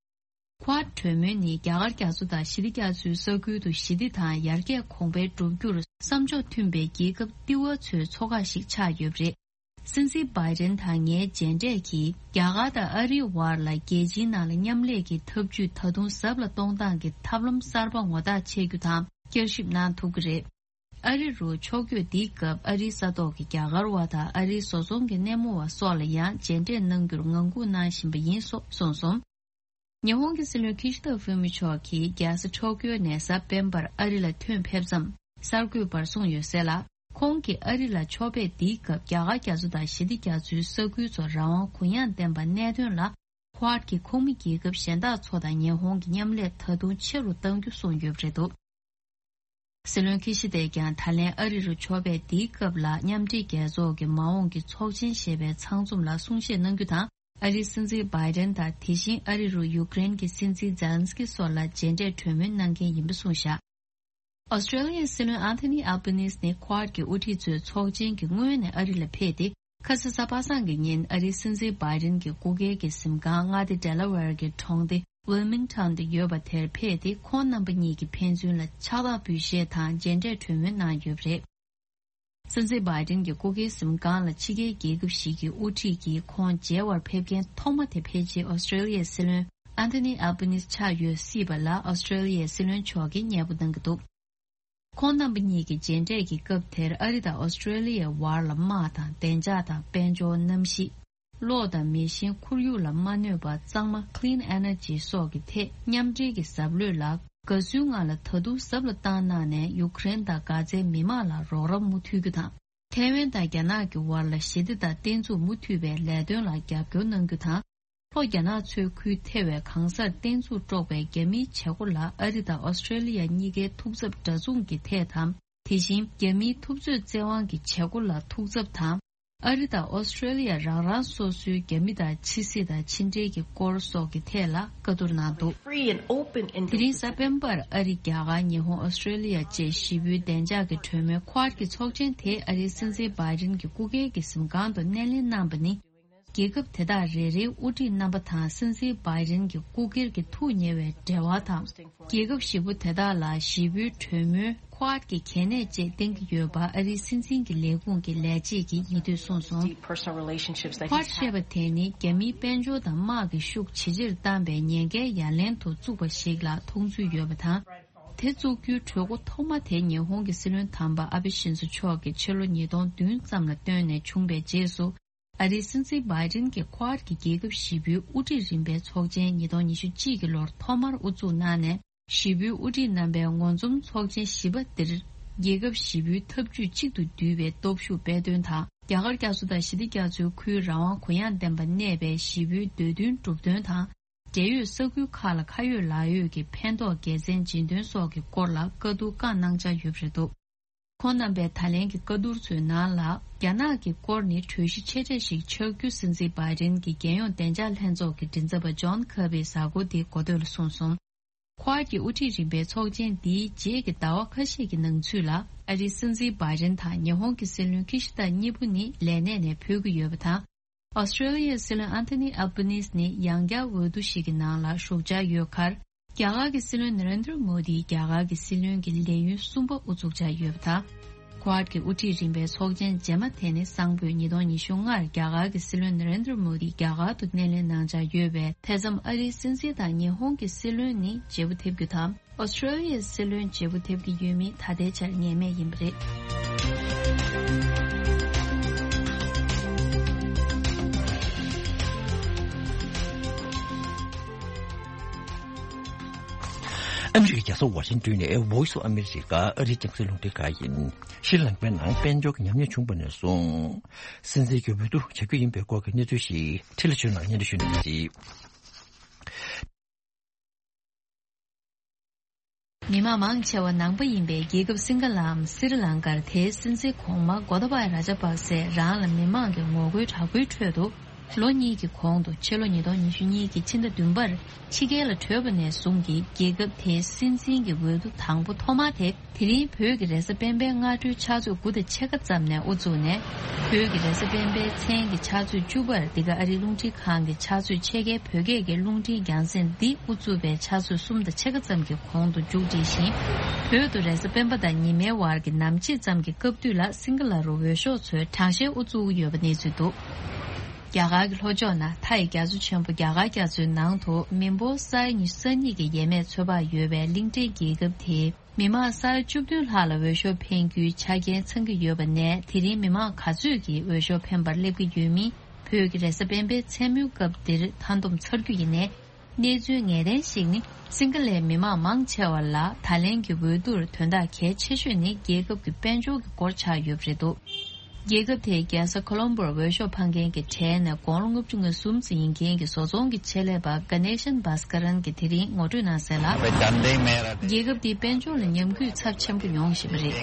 ཁོ་ཝཱཌ་གྲོས་མོལ་ནི་རྒྱ་གར་རྒྱ་མཚོ་དང་ཞི་བདེ་རྒྱ་མཚོའི་ས་ཁུལ་དུ་ཞི་བདེ་དང་ཡར་རྒྱས་གོང་འཕེལ་བསྒྲུབ་རྒྱུར་བསམ་ཕྱོགས་མཐུན་པའི་རྒྱལ་ཁབ་ལྟེ་བ་ཚོའི་ཚོགས་ཁག་ཞིག་ཆགས་ཡོད་པ་རེད། སྲིད་འཛིན་བྷའི་ཌེན་དང་ངའི་མཇལ་འཕྲད་ཀྱིས་རྒྱ་གར་དང་ཨ་རིའི་བར་ལ་རྒྱལ་སྤྱིའི་ནང་ལ་མཉམ་ལས་ཀྱི་འཐབ་ཇུས་ད་དུང་ཟབ་ལ་གཏོང་སྟངས་ཀྱི་ཐབས་ལམ་གསར་པ་ངོ་རྟགས་ཆད་རྒྱུ་དང་བསྐྱར་ཞིབ་གནང་ཐུབ་ཀྱི་རེད། ཨ་རི་རུ་ཕྱོགས་བསྐྱོད་འདིའི་སྐབས་ཨ་རིའི་ས་ཐོག་གི་རྒྱ་གར་བ་དང་ཨ་རིའི་བཟོ་ཚོང་གི་སྣེ་མོ་བ་སོགས་ལ་ཡང་མཇལ་འཕྲད་གནང་རྒྱུར་ངང་སྒུག་གནང་བཞིན་པ་ཡིན་སོགས་གསུངས་སོང་། ཉི་ཧོང་གི་སྲིད་བློན་ཁི་ཤི་ད་ཧྥུ་མི་མཆོག་གིས་རྒྱལ་ས་ཊོ་ཀིའོ་ནས་གཟའ་སྤེན་པར་ཨ་རི་ལ་ཐོན་ཕེབས་མཚམས་གསར་འགོད་པར་གསུངས་ཡོད་གསལ་ལ། ཁོང་གིས་ཨ་རི་ལ་ཕྱོགས་ཕེབས་འདིའི་སྐབས་རྒྱ་གར་རྒྱ་མཚོ་དང་ཞི་བདེ་རྒྱ་མཚོའི་ས་ཁུལ་ཚོ་རང་དབང་གུ་ཡངས་ལྡན་པ་གནད་དོན་ལ་ཁོ་ཝཱཌ་ཀྱི་ཁོངས་མི་རྒྱལ་ཁབ་གཞན་དག་ཚོ་དང་ཉི་ཧོང་གི་མཉམ་ལས་ད་དུང་ཆེ་རུ་གཏང་རྒྱུ་གསུངས་ཡོད་པ་རེད་འདུག་སྲིད་བློན་ཁི་ཤི་དས་ཀྱང་ད་ལན་ཨ་རི་རུ་ཕྱོགས་ཕེབས་འདིའི་སྐབས་ལ་མཉམ་འབྲེལ་རྒྱལ་ཚོགས་ཀྱི་མ་འོངས་ཀྱི་ཚོགས་ཆེན་ཞེས་པའི་ཚང་འཛོམས་ལ་གསུང་བཤད་གནང་རྒྱུ་དང་། ཨ་རིའི་སྲིད་འཛིན་བྷའི་ཌེན་དང་དེ་བཞིན་ཨ་རི་རུ་ཡུཀ་རེན་གྱི་སྲིད་འཛིན་ཛེ་ལན་སི་ཀི་སོགས་ལ་མཇལ་འཕྲད་གྲོས་མོལ་གནང་མཁན་ཡིན་པ་གསུངས་བཞག་ཨོ་སི་ཀྲེ་ལི་ཡའི་སྲིད་བློན་ཨན་ཐོ་ནི་ཨལ་བྷ་ནིས་ནི་ཁོ་ཝཱཌ་ཀྱི་དབུ་ཁྲིད་ཚོའི་ཚོགས་ཆེན་གྱི་སྔོན་ནས་ཨ་རི་ལ་ཕེབས་ཏེ། ཁ་ས་གཟའ་པ་སངས་ཀྱི་ཉིན་ཨ་རིའི་སྲིད་འཛིན་བྷའི་ཌེན་གྱི་སྐུ་སྒེར་གྱི་གཟིམ་ཁང་མངའ་སྡེ་ཌེ་ལ་ཝེར་གྱི་གྲོང་སྡེ་ཝིལ་མིང་ཊོན་དུ་ཡོད་པ་དེར་ཕེབས་ཏེ། ཁོང་རྣམ་པ་གཉིས་ཀྱིས་ཕན་ཚུན་ལ་ཕྱག་རྟགས་འབུལ་བཞེས་དང་མཇལ་འཕྲད་གྲོས་མོལ་གནང་ཡོད་པ་རེད། སྲིད་འཛིན་བྷའི་ཏིན་གྱི་སྐུ་སྒེར་གཟིམ་ཁང་ལ་ཕྱི་རྒྱལ་རྒྱལ་ཁབ་ཞིག་གི་དབུ་ཁྲིད་ཀྱིས་ཁོང་མཇལ་བར་ཕེབས་མཁན་ཐོག་མ་དེ་ཕལ་ཆེར་ཨོ་སི་ཀྲེ་ལི་ཡའི་སྲིད་བློན་ཨན་ཐོ་ནི་ཨལ་བྷ་ནིས་ཆགས་ཡོད་སྲིད་པ་ལ། ཨོ་སི་ཀྲེ་ལི་ཡའི་སྲིད་བློན་མཆོག་གིས་མཉེས་པོ་གནང་གི་འདུག་ཁོང་རྣམ་པ་གཉིས་ཀྱི་མཇལ་འཕྲད་ཀྱི་སྐབས་དེར་ཨ་རི་དང་ཨོ་སི་ཀྲེ་ལི་ཡའི་བར་ལ་དམག་དང་བདེ་འཇགས་དང་དཔལ་འབྱོར། གནམ་གཤིས། གློག་དང་མེ་ཤིང་ཁོར་ཡུག་ལ་མ་གནོད་པ་གཙང་མ་Clean Energy སོགས་ཀྱི་ཐད་མཉམ་འབྲེལ་གྱི་ཟབ་ལྷོད་ལ། དགའ་བསུའི་ངང་ལ་ད་དུང་ཟབ་ལ་བཏང་གནང་ནས་ཡུ་ཀེ་རེན་དང་གྷ་ཛའི་མི་མང་ལ་རོགས་རམ་མུ་མཐུད་རྒྱུ་དང་། ཐའེ་ཝན་དང་རྒྱ་ནག་གི་བར་ལ་ཞི་བདེ་དང་བརྟན་ཚུགས་མུ་མཐུད་པའི་ལས་དོན་ལ་རྒྱབ་སྐྱོར་གནང་རྒྱུ་དང་། ལྷོ་རྒྱ་ནག་མཚོའི་ཁུལ་ཐེ་བའི་གང་སར་བརྟན་ཚུགས་དཀྲོག་པའི་རྒྱ་མིའི་བྱེད་སྒོ་ལ་ཨ་རི་དང་ཨོ་སི་ཀྲེ་ལི་ཡ་གཉིས་ཀའི་ཐུགས་འཚབ་འདྲ་མཚུངས་ཀྱི་ཐད་དང་། དེ་བཞིན་རྒྱ་མིའི་འཐབ་རྩོད་བཙན་དབང་གི་བྱེད་སྒོ་ལ་ཐུགས་འཚབ་དང་། ཨ་རི་དང་ཨོ་སི་ཀྲེ་ལི་ཡ་རང་རང་སོ་སོའི་རྒྱ་མི་དང་ཕྱི་སྲིད་དང་ཕྱི་འབྲེལ་གྱི་སྐོར་སོགས་ཀྱི་ཐད་ལ་བཀའ་བསྡུར་གནང་འདུག Free and open དེ་རིང་གཟའ་སྤེན་པར་ཨ་རི། རྒྱ་གར། ཉི་ཧོང་། ཨོ་སི་ཀྲེ་ལི་ཡ་བཅས་བཞི་པོའི་བདེ་འཇགས་ཀྱི་གྲོས་མོལ་ཁོ་ཝཱཌ་ཀྱི་ཚོགས་ཆེན་དེ་ཨ་རིའི་སྲིད་འཛིན་བྷའི་ཏིན་གྱི་སྐུ་སྒེར་གྱི་གཟིམ་ཁང་དུ་སྣེ་ལེན་གནང་བ་ནི། རྒྱལ་ཁབ་དེ་དག་རེ་རེའི་དབུ་ཁྲིད་རྣམ་པ་དང་སྲིད་འཛིན་བྷའི་ཏིན་གྱི་སྐུ་སྒེར་གྱི་ཐུགས་ཉེ་བའི་འབྲེལ་བ་དང་། རྒྱལ་ཁབ་བཞི་པོ་དེ་དག་ལ་བཞི་པོའི་གྲོས་མོལ་ཁོ་ཝཱཌ་ཀྱི་གལ་གནད་བཅས་བསྟན་གྱི་ཡོད་པ་ཨ་རིའི་སྲིད་འཛིན་གྱི་ལས་ཁུངས་ཀྱི་ལས་བྱེད་ཀྱིས་ཉེ་དུས་གསུངས་སོང་། Deep personal relationships that ཁོ་ཝཱཌ་he's ཞེས་པ་དེ་ནི་རྒྱ་མིའི་དཔལ་འབྱོར་དང་དམག་གི་ཤུགས་ཇེ་ཆེར་བཏང་བའི་ཉེན་ཁའི་ཡ་ལན་དུ་བཙུགས་པ་ཞིག་ལ་མཐོང་ཚུལ་ཡོད་པ་དང་། དེ་བཙུགས་རྒྱུའི་གྲོས་འགོ་ཐོག་མ་དེ་ཉི་ཧོང་གི་སྲིད་བློན་དམ་པ་ཨ་བྷེ་ཤིན་ཛོ་མཆོག་གིས་ཕྱི་ལོ་ཉིས་སྟོང་བདུན་ཙམ་ལ་བཏོན་ནས་བྱུང་བའི་རྗེས་སུ། ཨ་རིའི་སྲིད་འཛིན་བྷའི་ཏིན་གྱིས་ཁོ་ཝཱཌ་ཀྱི་རྒྱལ་ཁབ་བཞི་པོའི་དབུ་ཁྲིད་རིམ་པའི་ཚོགས་ཆེན་ཉིས་སྟོང་ཉི་ཤུ་གཅིག་གི་ལོར་ཐོག་མར་དབུ་འཛུགས་གནང་ནས། བཞི་པོའི་དབུ་ཁྲིད་རྣམ་པའི་ངོ་འཛོམས་ཚོགས་ཆེན་བཞི་པ་འདིར། རྒྱལ་ཁབ་བཞི་པོའི་འཐབ་ཇུས་གཅིག་ཏུ་འདུས་པའི་སྟོབས་ཤུགས་སྤེལ་དོན་དང་། རྒྱ་གར་རྒྱ་མཚོ་དང་ཞི་བདེ་རྒྱ་མཚོའི་ཁུལ་རང་དབང་གུ་ཡངས་ལྡན་པ་གནས་པའི་བཞི་པོའི་འདོད་འདུན་སྒྲུབ་དོན་དང་། འབྲེལ་ཡོད་ས་ཁུལ་ཁག་ལ་ཁ་ཡོད་ལག་ཡོད་ཀྱི་ཕན་ཐོགས་དགེ་མཚན་སྦྱིན་དོན་སོགས་ཀྱི་སྐོར་ལ་བཀའ་བསྡུར་བཀའ་གནང་འཆར་ཡོད་པ་རེད་འདུག་ཁོང་རྣམ་པས་ད་ལན་གྱི་བཀའ་བསྡུར་ཚོའི་ནང་ལ། རྒྱ་ནག་གི་སྐོར་ནི་གྲོས་གཞི་ཆེ་གྲས་ཤིག་ཆགས་རྒྱུ་སྲིད་འཛིན་བྷའི་ཏིན་གྱི་རྒྱལ་ཡོངས་བདེ་འཇགས་ལྷན་ཚོགས་ཀྱི་མགྲིན་ཚབ་པ་ཇོན་ཁེར་བྷིས་གཟའ་འཁོར་འདིའི་འགོ་སྟོད་ལ་གསུངས་སོང་། ཁོ་ཝཱཌ་ཀྱི་དབུ་ཁྲིད་རིམ་པའི་ཚོགས་ཆེན་འདིའི་རྗེས་ཀྱི་ཟླ་བ་ཁ་ཤས་ཀྱི་ནང་ཚུད་ལ། ཨ་རིའི་སྲིད་འཛིན་བྷའི་ཏིན་དང་ཉི་ཧོང་གི་སྲིད་བློན་ཁི་ཤི་ད་གཉིས་པོ་ནི་ལས་གནས་ནས་འཕོ་གི་ཡོད་པ་དང་། ཨོ་སི་ཀྲེ་ལི་ཡའི་སྲིད་བློན་ཨན་ཐོ་ནི་ཨལ་བྷ་ནིས་ནི་ཡང་བསྐྱར་འོས་བསྡུ་ཞིག་གི་ནང་ལ་ཞུགས་འཆར་ཡོད་ཁར། རྒྱ་གར་གྱི་སྲིད་བློན་ན་རེན་དྲ་མོ་དིས་རྒྱ་གར་གྱི་སྲིད་བློན་གྱི་ལས་ཡུན་གསུམ་པ་དབུ་འཛུགས་འཆར་ཡོད་པ་དང་། ཁོ་ཝཱཌ་ཀྱི་དབུ་ཁྲིད་རིམ་པའི་ཚོགས་ཆེན་རྗེས་མ་དེ་ནི་སང་ཕོད་ཉིས་སྟོང་ཉི་ཤུ་ལྔར་རྒྱ་གར་གྱི་སྲིད་བློན་ན་རེན་དྲ་མོ་དི་རྒྱ་གར་དུ་སྣེ་ལེན་གནང་འཆར་ཡོད་པས། དེ་མཚམས་ཨ་རིའི་སྲིད་འཛིན་དང་ཉི་ཧོང་གི་སྲིད་བློན་ནི་བརྗེ་པོ་ཐེབས་རྒྱུ་དང་། ཨོ་སི་ཀྲེ་ལི་ཡའི་སྲིད་བློན་བརྗེ་པོ་ཐེབས་ཀྱི་ཡོད་མིན་ད་ལྟའི་ཆར་ངེས་མེད་ཡིན་པ་རེད། ཨ་མི་རི་ཀའི་རྒྱལ་ས་ཝ་ཤིང་ཏོན་ནས་Voice of America ཨ་རིའི་རྒྱང་སྲིང་རླུང་འཕྲིན་ཁང་ཡིན། ཤྲི་ལངྐའི་ནང་དཔལ་འབྱོར་གྱི་ཉམས་ཉེས་བྱུང་བ་ནས་བཟུང་། སྲིད་འཛིན་གྱི་འོས་བསྡུ་བྱ་རྒྱུ་ཡིན་པའི་སྐོར་གྱི་གནས་ཚུལ་ཞིག་ཁྲི་ལ་ཆོས་ནང་སྙན་སྒྲོན་ཞུ་གནང་གི་རེད། མི་མང་མང་ཆེ་བ་ནང་པ་ཡིན་པའི་རྒྱལ་ཁབ་སིང་ག་ལའམ་སི་རི་ལང་ཀར་དེའི་སྲིད་འཛིན་གོང་མ་གོ་ཏ་བ་ར་ཇ་པག་སེ་རང་ལ་མི་མང་གི་ངོ་རྒོལ་དྲག་པོའི་ཁྲོད་དུ། ལོ་གཉིས་ཀྱི་གོང་དུ་ཕྱི་ལོ་ཉིས་སྟོང་ཉི་ཤུ་གཉིས་ཀྱི་ཕྱི་ཟླ་བདུན་པར་ཕྱི་རྒྱལ་ལ་བྲོས་པ་ནས་བཟུང་གི་རྒྱལ་ཁབ་དེའི་སྲིད་འཛིན་གྱི་འོས་བསྡུ་དང་པོ་ཐོག་མ་དེ། དེ་རིང་བོད་ཀྱི་རེས་གཟའ་སྤེན་པའི་སྔ་དྲོའི་ཕྱག་ཚོད་དགུ་དང་ཕྱེད་ཀ་ཙམ་ནས་དབུ་བཙུགས་ནས། བོད་ཀྱི་རེས་གཟའ་སྤེན་པའི་མཚན་གྱི་ཕྱག་ཚོད་བཅུ་པར་འདི་ག་ཨ་རིའི་རླུང་འཕྲིན་ཁང་གི་ཕྱག་ཚོད་ཕྱེད་ཀའི་བོད་སྐད་ཀྱི་རླུང་འཕྲིན་རྒྱང་སྲིང་འདི་དབུ་བཙུགས་པའི་ཕྱག་ཚོད་གསུམ་དང་ཕྱེད་ཀ་ཙམ་གྱི་གོང་དུ་མཇུག་བསྒྲིལ་ཞིང་། བོད་དུ་རེས་གཟའ་སྤེན་པ་དང་ཉི་མའི་བར་གྱི་ནམ་ཕྱེད་ཙམ་གྱི་སྐབས་དུས་ལ་སིང་ག་ལ་རུ་འོས་ཤོག་ཚོའི་གྲངས་བཤེར་དབུ་བཙུགས་ཡོད་པ་གནས་ཚུལ་འདུག་རྒྱ་གར་གྱི་ལྷོ་ཕྱོགས་ན་མཐའ་ཡི་རྒྱ་མཚོ་ཆེན་པོ་རྒྱ་གར་རྒྱ་མཚོའི་ནང་དུ་མི་འབོར་ས་ཡ་ཉི་ཤུ་རྩ་གཉིས་ཀྱི་ཡས་མས་ཚོད་དཔག་ཡོད་པའི་གླིང་ཕྲན་རྒྱལ་ཁབ་དེའི་མི་མང་ས་ཡ་བཅུ་བདུན་ལྷག་ལ་འོས་ཤོག་འཕེན་རྒྱུའི་ཆ་རྐྱེན་ཚང་གི་ཡོད་པ་ནས། དེ་རིང་མི་མང་ག་ཚོད་ཀྱིས་འོས་ཤོག་འཕེན་པར་སླེབས་ཀྱི་ཡོད་མིན་བོད་ཀྱི་རེས་གཟའ་སྤེན་པའི་མཚན་མོའི་སྐབས་འདིར་མཐའ་བསྡོམས་ཚར་རྒྱུ་ཡིན་ནའི། གནས་ཚུལ་ངེས་གཏན་ཞིག་ནི། སིང་ག་ལའི་མི་མང་མང་ཆེ་བ་ལ་ད་ལན་གྱི་འོས་བསྡུར་དོན་དག་གལ་ཆེ་ཤོས་ནི་རྒྱལ་ཁབ་ཀྱི་དཔལ་འབྱོར་གྱི་སྐོར་ཆགས་ཡོད་པ་རེད་འདུག་རྒྱལ་ཁབ་དེའི་རྒྱལ་ས་ཁོ་ལོམ་བོར་འོས་ཤོག་འཕང་མཁན་གྱི་གྲས་ནས་དགུང་ལོ་ལྔ་བཅུ་ང་གསུམ་ཙམ་ཡིན་མཁན་གྱི་བཟོ་ཚོང་གི་ཆེད་ལས་པ་ག་ནེ་ཤན་བྷ་སྐ་རན་གྱིས་དེ་རིང་ངོ་སྤྲོད་གནང་གསལ་ལ། རྒྱལ་ཁབ་དེའི་དཔལ་འབྱོར་ལ་ཉམས་རྒུད་ཚབས་ཆེན་པོ་ཡོང་བཞིན་པ་རེད།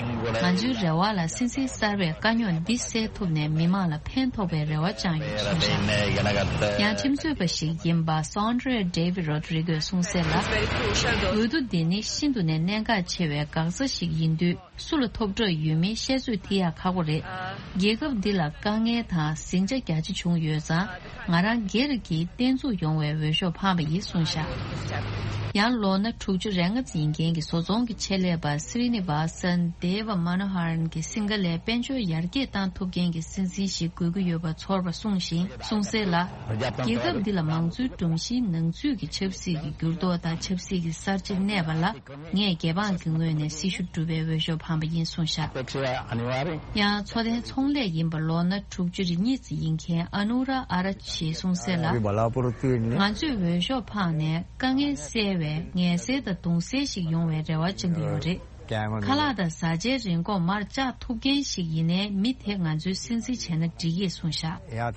ང་ཚོའི་རེ་བ་ལ་སྲིད་འཛིན་གསར་པས་དཀའ་རྙོག་འདི་སེལ་ཐུབ་ནས་མི་མང་ལ་ཕན་ཐོགས་པའི་རེ་བ་བཅངས་ཡོད་གསུངས་ཤག་ཡང་ཁྲིམས་རྩོད་པ་ཞིག་ཡིན་པ་Sandra David Rodriguez གསུངས་གསལ་ལ། འོས་བསྡུ་འདི་ནི་ཤིན་ཏུ་ནས་གནད་འགག་ཆེ་བའི་འགག་རྩ་ཞིག་ཡིན་དུས། སུ་ལ་ཐོབ་གྲབས་ཡོད་མེད་བཤད་ཚོད་དེ་ཡང་ཁག་པོ་རེད། རྒྱལ་ཁབ་འདི་ལ་དཀའ་ངལ་དང་ཟིང་ཆ་རྒྱ་ཆེ་བྱུང་ཡོད་ཙང་། ང་རང་སྒེར་གྱིས་བརྟན་ཚུགས་ཡོང་བའི་འོས་ཤོག་འཕངས་པ་ཡིན་གསུངས་ཤག་ཡང་ལོ་ན་དྲུག་ཅུ་རེ་ལྔ་ཙམ་ཡིན་མཁན་གྱི་བཟོ་ཚོང་གི་ཆེད་ལས་པ་སི་རི་ནི་ཝཱ་སན་དེ་ཝ་མ་ན་ཧ་རན་གྱིས་སིང་ག་ལའི་དཔལ་འབྱོར་ཡར་རྒྱས་བཏང་ཐུབ་མཁན་གྱི་སྲིད་འཛིན་ཞིག་དགོས་ཀྱི་ཡོད་པ་ཚོར་བ་གསུངས་ཤིང་གསུངས་གསལ་ལ། རྒྱལ་ཁབ་འདི་ལ་མང་གཙོའི་སྒྲོམ་གཞིའི་ནང་ཚུད་ཀྱི་ཆབ་སྲིད་ཀྱི་འགྱུར་ལྡོག་དང་ཆབ་སྲིད་ཀྱི་གསར་བརྗེ་གནས་པ་ལ། ངས་རྒྱལ་འབངས་ཀྱི་ངོས་ནས་སྲི་ཞུ་བསྒྲུབས་པའི་འོས་ཤོག་འཕངས་པ་ཡིན་གསུངས་བཞག་ཡང་འཚོ་རྟེན་ཚོང་ལས་ཡིན་པ་ལོ་ན་དྲུག་ཅུ་རེ་གཉིས་ཙམ་ཡིན་མཁན་ཨ་ནུ་ར་ཨ་ར་ཅིས་གསུངས་གསལ་ལ། ང་ཚོས་འོས་ཤོག་འཕངས་ནས་དཀའ་ངལ་སེལ་བའི་ངལ་སེལ་དང་གདུང་སེལ་ཞིག་ཡོང་བའི་རེ་བ་བཅང་གི་ཡོད་རེད། ཁ་ལག་དང་བཟའ་བཅའི་རིན་གོང་མར་བཅག་ཐུབ་མཁན་ཞིག་ཡིན་ནའི་མི་དེ་ང་ཚོའི་སྲིད་འཛིན་བྱས་ན་འགྲིག་ཡས་གསུངས་བཞག་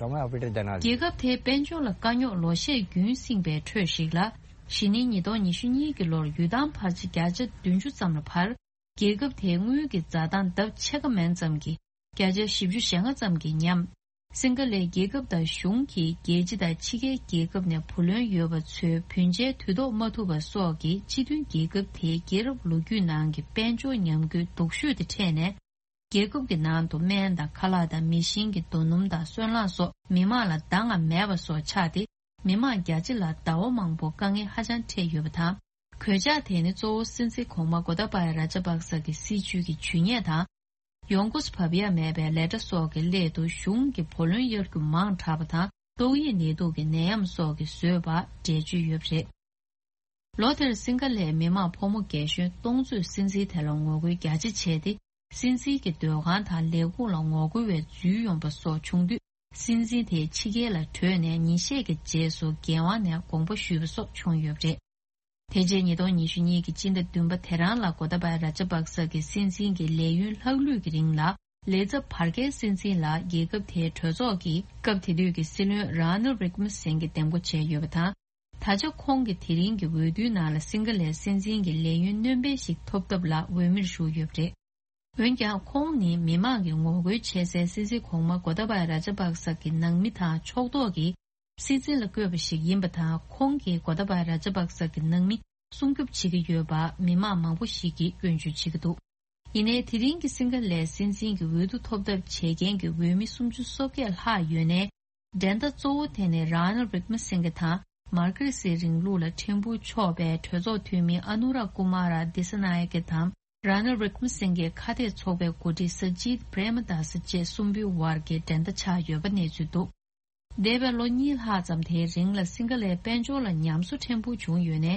རྒྱལ་ཁབ་དེའི་དཔལ་འབྱོར་ལ་དཀའ་རྙོག་ལོ་ཤས་རྒྱུན་བསྲིངས་པའི་ཁྲོད་ཞིག་ལ། གཞེས་ནིང་ཉིས་སྟོང་ཉི་ཤུ་གཉིས་ཀྱི་ལོར་ཡུལ་ཐང་འཕར་ཆ་བརྒྱ་ཆ་བདུན་ཅུ་ཙམ་ལ་འཕར། རྒྱལ་ཁབ་དེའི་དངུལ་གྱི་འཛའ་ཐང་ལྡབ་ཕྱེད་ཀ་མན་ཙམ་གྱི་བརྒྱ་ཆ་བཞི་བཅུ་ཞེ་ལྔ་ཙམ་གྱིས་ཉམས། སིང་ག་ལའི་རྒྱལ་ཁབ་དང་གཞུང་གིས་རྒྱལ་སྤྱི་དང་ཕྱི་རྒྱལ་རྒྱལ་ཁབ་ནས་བུ་ལོན་ཡོད་པ་ཚོའི་བུན་འཇལ་དུས་ཐོག་མ་ཐུབ་པ་སོགས་ཀྱིས་སྤྱི་མཐུན་རྒྱལ་ཁབ་དེའི་རྒྱལ་རབས་ལོ་རྒྱུས་ནང་གི་དཔལ་འབྱོར་ཉམས་རྒུད་སྡུག་ཤོས་དེ་འཕྲད་ནས། རྒྱལ་ཁབ་ཀྱི་ནང་དུ་སྨན་དང་ཁ་ལག་དང་མེ་ཤིང་གི་རྡོ་སྣུམ་དང་སོལ་རླངས་སོགས་མི་མང་ལ་འདང་ང་མེད་པ་སོགས་ཆགས་ཏེ། མི་མང་རྒྱ་ཆེ་ལ་ཟླ་བ་མང་པོ་དཀའ་ངལ་ཧ་ཅང་འཕྲད་ཡོད་པ་དང་། གོད་ཆག་དེ་ནི་གཙོ་བོ་སྲིད་འཛིན་གོང་མ་གོ་ཏཱ་བ་ཡ་ར་ཇ་པག་ས་གི་སྲིད་བྱུས་ཀྱི་ཇུས་ཉེས་དང་། ཡོང་སྒོ་བབས་ཡ་མེད་པའི་ལས་གྲྭ་སོགས་ཀྱི་སླད་དུ་གཞུང་གི་བུ་ལོན་གཡར་རྒྱུ་མང་དྲགས་པ་དང་། ཏོག་དབྱིབས་ནད་དུག་གི་ནད་ཡམས་སོགས་ཀྱིས་བཟོས་པ་འགྲེལ་བརྗོད་ཡོད་པ་རེད། ལོ་དེར་སིང་ག་ལའི་མི་མང་ཕོ་མོ་རྒས་གཞོན་སྟོང་ཚོས་སྲིད་འཛིན་དེ་ལ་ངོ་རྒོལ་རྒྱ་ཆེ་བྱས་ཏེ། སྲིད་འཛིན་གྱི་སྡོད་ཁང་དང་ལས་ཁུངས་ལ་ངོ་རྒོལ་བའི་འཛུལ་ཡོང་པ་སོགས་བྱུང་དུས། སྲིད་འཛིན་དེ་ཕྱི་རྒྱལ་ལ་བྲོས་ནས་ཉིན་ཤས་ཀྱི་རྗེས་སུ་རྒྱལ་དབང་ནས་དགོངས་པ་ཞུས་པ་སོགས་བྱུང་ཡོད་པ་རེད། དེ་རྗེས་ཉིས་སྟོང་ཉི་ཤུ་གཉིས་ཀྱི་སྤྱི་ཟླ་བདུན་པ་དེ་རང་ལ་གོ་ཏཱ་བ་ར་ཇ་པག་ས་གི་སྲིད་འཛིན་གྱི་ལས་ཡུན་ལྷག་ལུས་ཀྱི་རིང་ལ། ལས་ཚབ་བར་བརྒལ་སྲིད་འཛིན་ལ་རྒྱལ་ཁབ་དེའི་གྲོས་ཚོགས་ཀྱིས་སྐབས་དེ་དུས་ཀྱི་སྲིད་བློན་རཱ་ནལ་རིག་མ་སིང་གི་འདེམས་བསྐོ་བྱས་ཡོད་པ་དང་། ད་ཆ་ཁོང་གིས་དེ་རིང་གི་འོས་བསྡུའི་ནང་ལ་སིང་ག་ལའི་སྲིད་འཛིན་གྱི་ལས་ཡུན་སྣོན་སྤེལ་ཞིག་ཐོབ་ཐབས་ལ་འོས་མིར་ཞུགས་ཡོད་པ་རེད། འོན་ཀྱང་ཁོང་ནི་མི་མང་གིས་ངོ་རྒོལ་བྱེད་སའི་སྲིད་འཛིན་གོང་མ་གོ་ཏཱ་བ་ཡ་ར་ཇ་པག་ས་གི་ནང་མི་དང་ཕྱོགས་གཏོགས་ཀྱིས་སྲིད་འཛིན་ལ་བསྐོས་པ་ཞིག་ཡིན་པ་དང་། ཁོང་གིས་གོ་ཏཱ་བ་ཡ་ར་ཇ་པག་ས་གི་ནང་མི་སྲུང་སྐྱོབ་བྱེད་ཀྱི་ཡོད་པ་མི་མང་མང་པོ་ཞིག་གིས་སྐྱོན་བརྗོད་བྱེད་ཀྱི་འདུག་ཡིན་ནའི་དེ་རིང་གི་སིང་ག་ལའི་སྲིད་འཛིན་གྱི་འོས་བསྡུ་ཐོབ་ཐབས་བྱེད་མཁན་གྱི་འོས་མི་སུམ་ཅུ་སོ་བརྒྱད་ལྷག་ཡོད་ནའི། འགྲན་ཟླ་གཙོ་བོ་དེ་ནི་རཱ་ནལ་རིག་མ་སིང་གེ་དང་མར་ཁེ་སིའི་རིང་ལུགས་ལ་ཕྲན་བུ་ཕྱོགས་པའི་གྲོས་ཚོགས་འཐུས་མི་ཨ་ནུ་ར་ཀུ་མ་ར་དི་ས་ན་ཡ་ཀེ་དང་རཱ་ནལ་རིག་མ་སིང་གེའི་ཁ་གཏད་ཚོགས་པའི་འགོ་ཁྲིད་ས་ཇིད་པྲེ་མ་དཱ་ས་བཅས་གསུམ་པོའི་བར་གྱི་འགྲན་ཟླ་ཆགས་ཡོད་པ་གནས་ཚུལ་འདུག་འདས་པའི་ལོ་གཉིས་ལྷག་ཙམ་དེའི་རིང་ལ་སིང་ག་ལའི་དཔལ་འབྱོར་ལ་ཉམས་གསོ་ཕྲན་བུ་བྱུང་ཡོད་ནའི།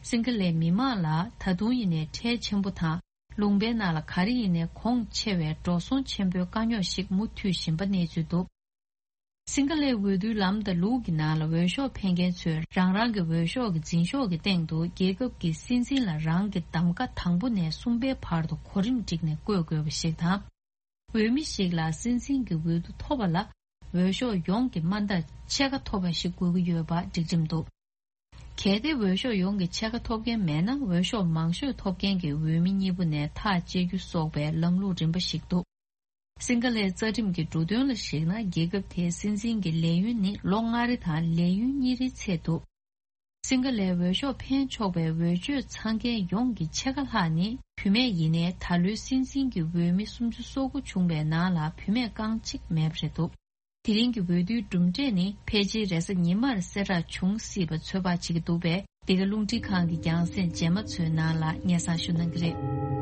སིང་ག་ལའི་མི་མང་ལ་ད་དུང་ཡིན་ནའི་ཁྲལ་ཆེན་པོ་དང་། ལུང་པའི་ནང་ལ་ག་རེ་ཡིན་ནའི་གོང་ཆེ་བའི་འགྲོ་སོང་ཆེན་པོའི་དཀའ་རྙོག་ཞིག་མུ་མཐུད་བཞིན་པ་གནས་ཚུལ་འདུག་སིང་ག་ལའི་འོས་བསྡུའི་ལམ་དང་ལུགས་ཀྱི་ནང་ལ་འོས་ཤོག་འཕེན་མཁན་ཚོས་རང་རང་གི་འོས་ཤོག་གི་འཛིན་ཤོག་གི་སྟེང་དུ་རྒྱལ་ཁབ་ཀྱི་སྲིད་འཛིན་ལ་རང་གི་གདམ་ཀ་དང་པོ་ནས་གསུམ་པའི་བར་དུ་གོ་རིམ་བསྒྲིགས་ནས་བཀོད་དགོས་པ་ཞིག་དང་། འོས་མི་ཞིག་ལ་སྲིད་འཛིན་གྱི་འོས་བསྡུ་ཐོབ་པ་ལ་འོས་ཤོག་ཡོངས་ཀྱི་མ་མཐའ་ཕྱེད་ཀ་ཐོབ་པ་ཞིག་དགོས་ཀྱི་ཡོད་པ་སྒྲིག་ཁྲིམས་འདུག་གལ་ཏེ་འོས་ཤོག་ཡོངས་ཀྱི་ཕྱེད་ཀ་ཐོབ་མཁན་མེད་ན། འོས་ཤོག་མང་ཤོས་ཐོབ་མཁན་གྱི་འོས་མི་གཉིས་པོ་ནས་ཐག་བཅད་རྒྱུ་སོགས་པའི་ལམ་ལུགས་རིམ་པ་ཞིག་འདུག་སིང་ག་ལའི་རྩ་ཁྲིམས་ཀྱི་འབྲུ་དོན་ལ་གཞིགས་ན། རྒྱལ་ཁབ་དེའི་སྲིད་འཛིན་གྱི་ལས་ཡུན་ནི་ལོ་ལྔ་རེ་དང་ལས་ཡུན་གཉིས་རེའི་ཚད་འདུག་སིང་ག་ལའི་འོས་ཤོག་འཕེན་ཆོག་པའི་འོས་ཆོས་ཚང་མཁན་ཡོངས་ཀྱི་ཕྱེད་ཀ་ལྷག་ནི་བུད་མེད་ཡིན་ནའི། ད་ལོའི་སྲིད་འཛིན་གྱི་འོས་མི་སུམ་ཅུ་སོ་དགུ་བྱུང་བའི་ནང་ལ་བུད་མེད་རྐང་གཅིག་མེད་པ་རེད་འདུག་དེ་རིང་གི་འོས་བསྡུའི་གྲུབ་འབྲས་ནི་ཕལ་ཆེར་རེས་གཟའ་ཉི་མར་གསལ་བསྒྲགས་འབྱུང་སྲིད་པ་ཚོད་དཔག་བྱེད་ཀྱི་འདུག་པས། འདི་ག་རླུང་འཕྲིན་ཁང་གི་རྒྱང་སྲིང་རྗེས་མ་ཚོའི་ནང་ལ་སྙན་སེང་ཞུ་གནང་གི་རེད།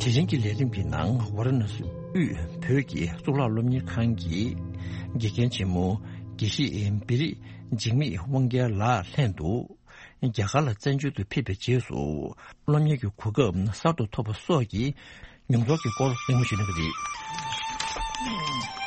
དེ་རིང་གི་ལས་རིམ་གྱི་ནང་ཝཱ་ར་ཎ་སི་དབུས་བོད་ཀྱི་གཙུག་ལག་སློབ་གཉེར་ཁང་གི་དགེ་རྒན་ཆེན་མོ་དགེ་བཤེས་བེ་རི་འཇིགས་མེད་དབང་རྒྱལ་ལགས་ལྷན་དུ། རྒྱ་གར་ལ་བཙན་བྱོལ་དུ་ཕེབས་པའི་རྗེས་སུ་སློབ་གཉེར་གྱི་གོ་སྐབས་གསར་དུ་ཐོབ་པ་སོགས་ཀྱི་མྱོང་ཚོར་གྱི་སྐོར་གླེང་མོལ་ཞུ་གནང་གི་རེད།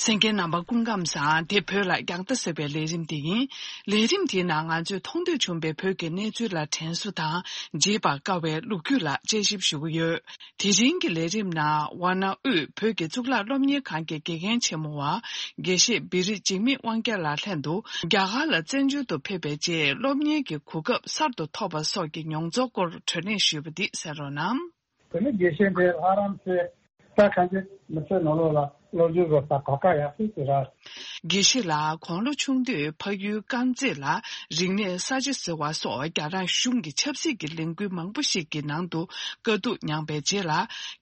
གསན་མཁན་རྣམ་པ་སྐུ་ཁམས་བཟང་། དེ་བོད་ལ་རྒྱང་ལྟ་ཟེར་བའི་ལས་རིམ་དེ་ཡིན། ལས་རིམ་དེའི་ནང་ང་ཚོས་མཐོང་ཐོས་བྱུང་བའི་བོད་ཀྱི་གནས་ཚུལ་ལ་དྲན་གསོ་དང་། བརྗེད་པར་དཀའ་བའི་ལོ་རྒྱུས་ལ་དཔྱད་ཞིབ་ཞུ་གི་ཡོད། དེ་རིང་གི་ལས་རིམ་ནང་ཝཱ་ཎ་དབུས་བོད་ཀྱི་གཙུག་ལག་སློབ་གཉེར་ཁང་གི་དགེ་རྒན་ཆེན་མོ་བ་དགེ་བཤེས་བི་རི་འཇིགས་མེད་དབང་རྒྱལ་ལགས་ལྷན་དུ། རྒྱ་གར་ལ་བཙན་བྱོལ་དུ་ཕེབས་པའི་རྗེས་སློབ་གཉེར་གྱི་གོ་སྐབས་གསར་དུ་ཐོབ་པ་སོགས་ཀྱི་མྱོང་ཚོར་སྐོར་བགྲོ་གླེང་ཞུས་པ་འདི་གསན་རོགས་གནང་། བོད་མི་དགེ་བཤེས་འདི་ལྷ་རམས་པའི་ ད་གང་ཅི་མི་ཚེ་ནང་ལོགས་ལ་བློ་འགྱོད་བཟོ་ས་གོ་སྐབས་ཡག་ཤོས་ཅིག་རེད། དགེ་བཤེས་ལགས་དགུང་ལོ་ཆུང་དུས་ཕ་ཡུལ་དཀར་མཛེས་ལ་རིག་གནས་གསར་བརྗེ་ཟེར་བ་སོགས་རྒྱ་ནག་གཞུང་གི་ཆབ་སྲིད་ཀྱི་ལས་འགུལ་མང་པོ་ཞིག་གི་ནང་དུ་དཀའ་སྡུག་མྱངས་པའི་རྗེས་ལ།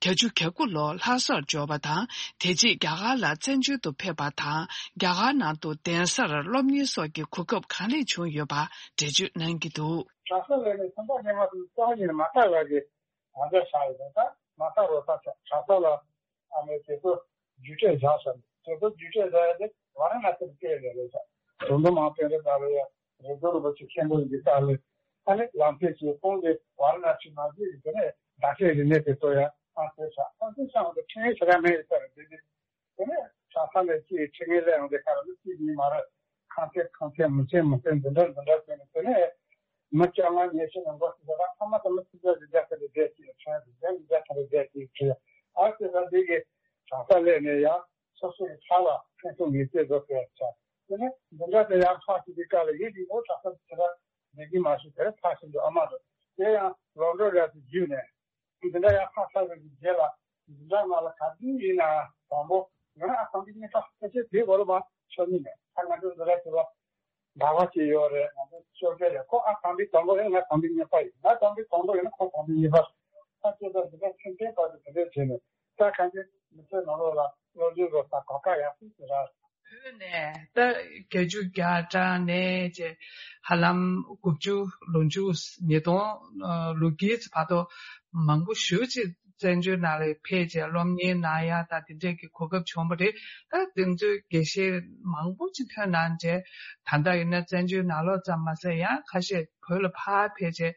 བརྒྱད་ཅུ་གྱ་དགུ་ལོར་ལྷ་སར་འབྱོར་བ་དང་། དེ་རྗེས་རྒྱ་གར་ལ་བཙན་བྱོལ་དུ་ཕེབས་པ་དང་། རྒྱ་གར་ནང་དུ་གདན་སར་སློབ་གཉེར་སོགས་ཀྱི་གོ་སྐབས་གང་ལེགས་བྱུང་ཡོད་པ་འགྲེལ་བརྗོད་གནང་གི་འདུག་གྲྭ་ས་ལས་ནས་ཐོན་པ་ཉི་མ་དུ་རྩ་བ་ཉིད་ནས་མ་བལྟ་བ་གི་ང་ཚོ་ཤག་ཡོད་ད། མ་བལྟ་རོགས་ས་ཆ་གྲྭ་ས་ལ་ཨ་མའི་དེ་ཚོ་རྒྱུགས་སྤྲོད་བཞག་ས་ནས་དེ་ཚོ་རྒྱུགས་སྤྲོད་བཞག་ཡ་དེ་ཝཱ་ར་ཎ་སིར་སྐྱེལ་ཡོད་རེད་ཤག་དོན་དུ་མ་དཔོན་རེ་ད་རེ་ཡ་རེ་རྡོ་རིན་པོ་ཆེ་མཁན་པོ་ཡིན་གྱི་ལྟ་ལས་ཨ་ནི་ལམ་སེང་ཆེ་ཁོང་གི་ཝཱ་ར་ཎ་སི་མ་བརྒྱུད་ཀྱི་དེ་ནས་ཟླ་ཤས་རིང་ནས་དེ་ཚོ་ཡ་ཨ་ཚོ་ཤག་ཨ་ཚོ་ཤག་འོང་དུ་ཁྲིད་ངེས་བྱེད་ཀ་མེད་ཡོད་ས་རེད་དེ་དེ། དེ་ནས་གྲྭ་ས་ནས་ཅིག་ཁྲིད་ངེས་ལས་ཡོང་དེ་ག་རེ་ལ་ཅིག་ཡིན་མ་རེད། ཁང་ཚན་ཁང་ཚན་མི་ཚན་མི་ཚན་འདི་འདྲ་འདི་འདྲ་བྱས་ནས་དེ་ནས་མི་བཅོ་ལྔ་ཉི་ཤུ་ནས་འགོ་ཚུགས་ས་ད་ཐ་མ་ད་མི་ཚིག་བརྒྱ་བཞི་བརྒྱ་ཁ་ལ་བསྡད་ཅིག་ཁྲིད་བཞི་བརྒྱ་ཉིས་བརྒྱ་ཁ་ལ་བསྡད་ཅིག་ཁྲིད་ཨ་ཙི་ད་འདི་གི་གྲྭ་ས་སླེབས་ནས་ཡང་སོ་སོ་ཡི་ཕ་ལ་ཕན་ཐོགས་ངེས་ཅན་བཟོ་དགོས་ཆགས། དེ་ནས་འདི་འདྲ་དེ་ཡང་ཕ་ཞིག་གི་བཀའ་ལ་ཡིད་འདི་འོ་གྲྭ་ས་དེ་ད་བསྡད་ཀྱི་མ་ཤེས་དེར་ཕ་ཞིག་འདུག་ཨ་མ་འདུག་དེ་ཡང་ལོག་འགྲོ་རེད་དེ་བརྒྱུད་ནས། འདི་འདྲ་ཡང་ཁ་ཁ་རེ་གི་རྗེས་ལ་འདི་འདྲ་ང་ལ་ག་དུས་ཡིན་ན་དང་པོ་ང་ཨ་ཁང་པའི་གཉེར་ཁ་ཕལ་ཆེར་དེའི་འོག་ལ་མ་ཤོར་ནི་མེད། ད་ང་ཚོ་འདི་འདྲ་བྱེད་པ་འདྲ་བ་ཅིག་ཡོད་རེད། ང་ཚོ་ཤོར་གྱི་རེད། ཁོ་ཨ་ཁང་པའི་དང་པོ་ཡིན་ང་ཁང་པའི་གཉེར་ཁ་ཡིན། ང་ཁང་པའི་དང་པོ་ཡིན་ན་ཁོ་ཁང་པའི་གཉེར་ཁ་ཡིན། ད་ཁྱེད་ཚོ་འདི་འདྲ་ཁྱིམ་མཚེས་བར་དུ་དེ་འདྲ་བྱས་ནས་ད་གང་ཅི་མི་ཚེ་ནང་ལོགས་ལ་བློ་འགྱོད་རོགས་ས་གོ་སྐབས་ཡག་ཤོས་ཅིག་རེད། བོད་ནས་ད་བརྒྱད་ཅུ་གྱ་གྲངས་ནས་ཅེ་ཧ་ལམ་དགུ་བཅུ་ལོ་མཇུག་ཉིས་སྟོང་ལོ་དཀྱིལ་བར་དུ་མང་པོ་ཞེ་ཅིག་བཙན་བྱོལ་ནང་ལ་ཕེབས་བྱས་སློབ་གཉེར་གནང་ཡ་ད་དེ་འདྲས་ཀྱི་གོ་སྐབས་བྱུང་བ་རེད། ད་དེ་ཚོའི་དགེ་བཤེས་མང་པོ་ཅིག་ཐོན་གནང་བྱས་ད་ལྟ་ཡིན་ན་བཙན་བྱོལ་ནང་ལོགས་ཙམ་མ་ཟད་ཡང་ཁ་ཤས་བོད་ལ་ཕར་ཕེབས་བྱས་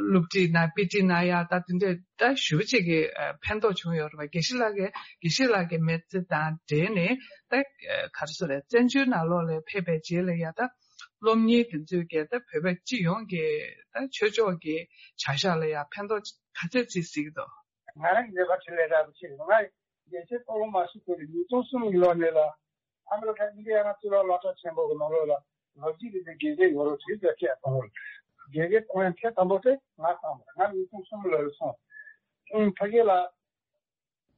སློབ་ཁྲིད་གནང་དཔེ་ཁྲིད་གནང་ཡ་ད་དེ་འདྲས། ད་ཞེ་པོ་ཅིག་གི་ཨ་ཕན་ཐོགས་བྱུང་ཡོད་རེད་པ། དགེ་བཤེས་ལགས་ཀྱི་དགེ་བཤེས་ལགས་ཀྱི་མི་ཚེ་དང་འབྲེལ་ནས་ད་ཨ་ག་རེ་ཟེར་རེད། བཙན་བྱོལ་ནང་ལོགས་ལ་ཕེབས་པའི་རྗེས་ལ་ཡ་ད་སློབ་གཉེར་དེ་ཚོའི་གི་ད་བོད་པ་སྤྱི་ཡོངས་ཀྱི་ད་ཆོས་ཕྱོགས་ཀྱི་བྱ་གཞག་ལ་ཡ་ཕན་ཐོགས་ག་ཚད་ཅིག་གཟིགས་ཀྱི་འདུག་ང་རང་གི་ལས་ཀ་ཆེད་ལས་རག་པ་ཆེད་ང་རྒྱལ་སྤྱིའི་སློབ་མ་ཞིག་དེ་ཉིས་སྟོང་གསུམ་གྱི་ལོ་ནས་ལ། ཨ་མི་རི་ཀ་ཨིན་ཌི་ཡ་ན་གཙུག་ལག་སློབ་གྲྭ་ཆེན་པོ་གི་ནང་ལོགས་ལ་ལོ་རྒྱུས་ཀྱི་དགེ་རྒན་ཡོད་རོགས་བྱེད་ཟེར་སྐད་བཏང་བ་རེད། དགེ་རྒན་གཏོང་ཡ་ཐེངས་དང་པོ་དེ་ང་བཏང་བ་རེད། ང་ཉིས་སྟོང་གསུམ་ལོ་ལ་སོང་། ཨིན་ཕ་གི་ལ་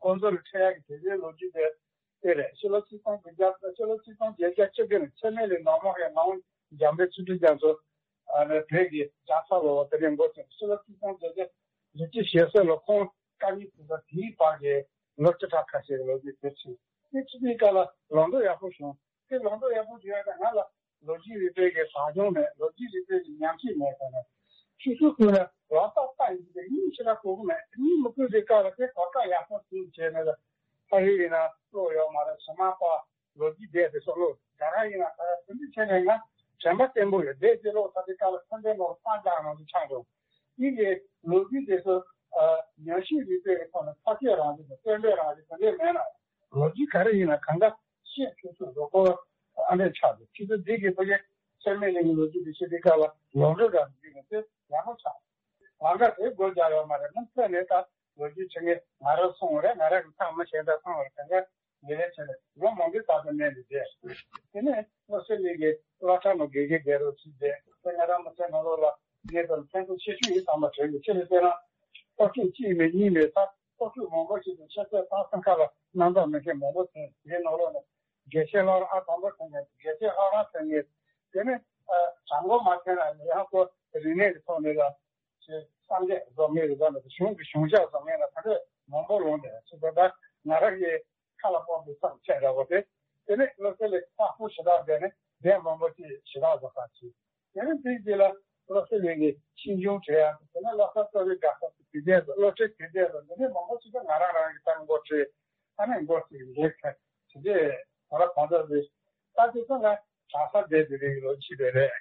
ཁོང་ཚོ་ལ་འཕྲད་ཡ་གི་དེ་འདྲའི་ལོ་རྒྱུས་དེ་དེ་རེད། ཕྱི་ལོ་ཆིག་སྟོང་དགུ་བརྒྱ་ཕྱི་ལོ་ཆིག་སྟོང་བརྒྱད་བརྒྱ་བཅུ་དགུ་ནས་འཆི་མེད་ལ་ནོར་མོ་ཡ་ངག་དབང་འཇམ་དཔལ་ཆོས་སྒྲོན་རྒྱ་མཚོ་ཨ་ནི་བོད་ཀྱི་ལྕགས་ཐག་ལོ་བ་དེ་རིང་འགོ་ཚུགས། ཕྱི་ལོ་ཆིག་སྟོང་བརྒྱད་བརྒྱ་བཞི་བཅུ་ཞེ་གསུམ་ལོ་ཁོང་དཀའ་ངལ་དེ་ཚོ་དེའི་བར་གྱི་ལོ་བཅུ་ཕྲག་ཁ་ཤས་ལོ་རྒྱུས་དེ་ཕྱིན། དེ་ཕྱི་དེའི་སྐབས་ལ་ལོ་འདོད་ཡག་པོ་བྱུང་། དེ་ལོ་འདོད་ཡག་པོ་བྱུང་ཡ་ད་ང་ལ་ལོ་རྒྱུས་རིག་པའི་གི་ཟབ་སྦྱོང་མེད། ལོ་རྒྱུས་རིག་པའི་གི་ཉམས་ཞིབ་མེད་ཟེར་ནས། ཆུ་ཚོད་ཀུན་ལ་ལོ་ཙཱ་ལྟ་ཡིན་གྱི་གཉིད་ཞེ་དྲག་ཁུག་གི་མེད། གཉིད་མི་ཁུག་དེ་སྐབས་ལ་དེ་གོ་སྐབས་ཡག་པོ་བྱུང་བྱས་ནས་ལ་ཕ་ཡུལ་ཡིན་ན་བློ་ཡོད་མ་རེད། ཕྱི་མ་པ་ལོ་རྒྱུས་བསྡད་དེ་སོགས་ལོ་རྒྱ་ར་ཡིན་ན་ད་དེ་འདྲ་བྱས་ནས་ང་དྲན་པ་བརྟན་པོ་ཡོད། བསྡད་དེ་ལོ་ད་དེ་སྐབས་ལ་ཁ་འདོན་ལོ་སྤང་རྒྱག་ནང་དུ་ཆགས་འགྲོ། ཡིན་གྱི་ལོ་རྒྱུས་དེ་ཚོ་ཉམས་ཞིབ་རིག་པའི་ཐོག་ནས་ཐག་གཅོད་རང་བཞིན་དང་བསྟན་པའི་རང་བཞིན་དེ་འདྲས་མེད་ན། ལོ་རྒྱུས་ག་རེ་ཡིན་ན་གང་ག་ཤེས་ཐུབ་ཚུལ་རོགས་སྐོར་ཨ་འདྲས་ཆགས་འདུག་ཁྱེད་ཚོ་འདི་གི་ཕ་གི་ཚད་མེད་གླིང་གི་ལོ་རྒྱུས་དེ་ཤེས་དུས་སྐབས་ལ་ལོ་འགྲོ་རང་བརྒྱུད་ནས་དེ་ཡག་པོ་ཆགས། ལམ་ཁ་དེ་སྒོ་རྒྱག་ཡོད་མ་རེད། མུ་མཐུད་ནས་ད་ལོ་རྒྱུས་ཆེ་ངེས་ང་རང་སོང་རེད། ང་རང་གི་ཐག་མ་ཤེས་ད་སོང་རེད། གང་ག་ལས་ལས་བྱས་ནས་ལོ་མང་པོའི་རྟག་ཏུ་གནས་ནས་བསྡད། དེ་ནས་བློ་གསལ་གླིང་གི་སློབ་གྲྭ་ནང་དགེ་རྒན་བསྡད་རོགས་བྱས་བསྡད། དེ་ང་རང་མི་ཚེ་ནང་ལོགས་ལ་ངས་ད་ཕན་ཐོགས་ཆེ་ཤོས་ཡིན་བསམ་པ་དྲན་གྱི། ཆེ་ལས་བལྟས་ན་སློབ་ཕྲུག་གཅིག་མེད་གཉིས་མེད་ད་སློབ་ཕྲུག་མང་པོ་ཞིག་ཏུ་ཆེ་ཚད་ཏང་སེམས་ཁ་ལ་རྣམ་དག་མེད་མཁན་མང་པོ་ཐོན། དེའི་ནང་ལོགས་ནས་དགེ་བཤེས་སློབ་ར་ཨ་དང་པོ་ཐོན་མཁན་དགེ་བཤེས་སློབ་ར་ཐོན་མཁན། དེ་ནས་ཨ་དྲང་པོ་མ་ཐོན་ན་ཡང་ཁོ་རིག་གནས་ཀྱི་ཐོག་ནས་ལ་ཅེས་སངས་རྒྱས་བཟོ་མཁན་རེད་ད་ནི་གཞུང་གི་གཞུང་ཞབས་བཟོ་མཁན་ལ་ད་ལྟ་མང་པོ་ལོངས་ཏེ་ཚུད་པ་ད་ང་རང་གི་ཁ་ལ་སྤོབས་པའི་བསམ་འཆར་འདྲ་བོ་དེ། དེ་ནས་བློ་གསལ་གླིང་ཁག་པོ་ཞེ་དྲག་བསྡད་ནས་གདན་མང་པོ་ཅིག་ཞེ་དྲག་བཟོ་ཁག་ཅིག་དེ་ནས་དེའི་རྗེས་ལ་བློ་གསལ་གླིང་གི་ཤིང་ཆུང་བྲིས་ཡ། དེ་ནས་བློ་བཟང་རྩ་བའི་དགའ་ས་སུ་དུས་ཆེན་དུ་སློབ་ཁྲིད་དུས་ཆེན་དུ་འདི་ནས་མང་པོ་ཞིག་ད་ང་རང་རང་གི་ད་འགོ་ཁྲིད་ཨ་ནེ་འགོ་ཁྲིད་འགོ་ཁྲིད་དེ་འདྲས་ད་ལ་གང་འདྲ་རེད། ད་དེ་ཚོ་ང་གྲྭ་ས་བསྡད་དེ་རེད་ལོ་ཕྱི་པའི་རེད།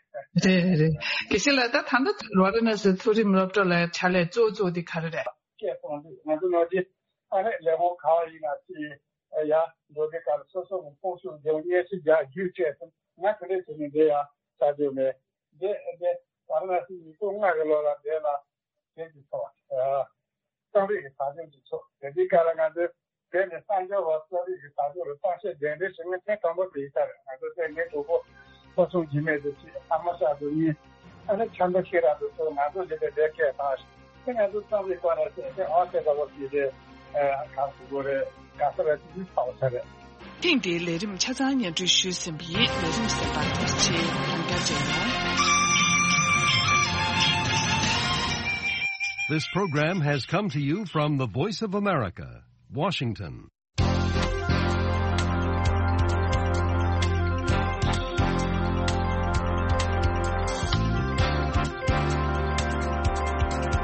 རེད་རེད། དགེ་བཤེས་ལགས་ད་ད་ལྟ་ཝཱ་ར་ཎ་སི་མཐོ་རིམ་སློབ་གྲྭ་ལ་ཕྱག་ལས་གཙོ་བོ་གཙོ་བོ་དེ་ག་རེ་རེད། སྐད་གཏོང་དུས་ང་ཚོ་ནོར་གྱི་ཨ་རེ་ལས་ཁུངས་ག་བ་ཡིན་ན་ཅི་ཡ་འགྲོ་དེ་ག་ལ་སོ་སོ་གི་ཕོགས་ཤུགས་རྒྱབ་སྙན་ཞུ་རྒྱག་རྒྱུ་བཅས་སོང་ང་དེ་འདྲས་བྱས་ནས་འདི་ཡ་ས་རྒྱུ་མེད། འདི་འདི་ཝཱ་ར་ཎ་སི་ཉིས་སྟོང་ལྔ་གི་ལོ་ལ་འདི་ལ་དེ་གི་ཚོགས་རྩོམ་རིག་གི་ས་ཆ་གི་ཚོགས་དེ་འདི་ག་ལ་ང་ཚོས་དེ་ནས་གསར་འགྱུར་བ་གསོ་རིག་གི་བར་སྐབས་ལ་གསར་བཤད་གདན་འདྲེན་ཞུ་མཁན་ཐེངས་དང་པོ་དེ་ཡིན་ས་རེད། ང་ཚོ་དེ་ངའི་གྲོགས་པོ་ཕོ་སྲུང་འཇིགས་མེད་དུ་ཆེ་ཨ་མ་ཤག་ཏུ་གཉིས་ཨ་ནི་ཆབ་མདོ་ཤེས་རབ་ཏུ་ཚོ་ང་ཚོ་འདི་དེ་འདྲའི་སྐད་བཏང་ཞིང་དེ་ང་ཚོ་རྩོམ་རིག་སྐོར་ལ་བཤད་དེ་ཨོ་ཤེས་དགའ་བོ་ཞིག་རེད། གང་དགོས་རེད། ག་ས་རེད། དེ་ཚོ་ཚ་བ་ཚ་རེད། ཐེངས་འདིའི་ལས་རིམ་ཆ་ཚང་སྙན་སྒྲོན་ཞུས་ཟིན་པ་ཡིན། ལས་རིམ་གསན་པར་ཐུགས་རྗེ་ཆེ། ཡང་བསྐྱར་མཇལ་ཡོང་། This program has come to you from the Voice of America, Washington.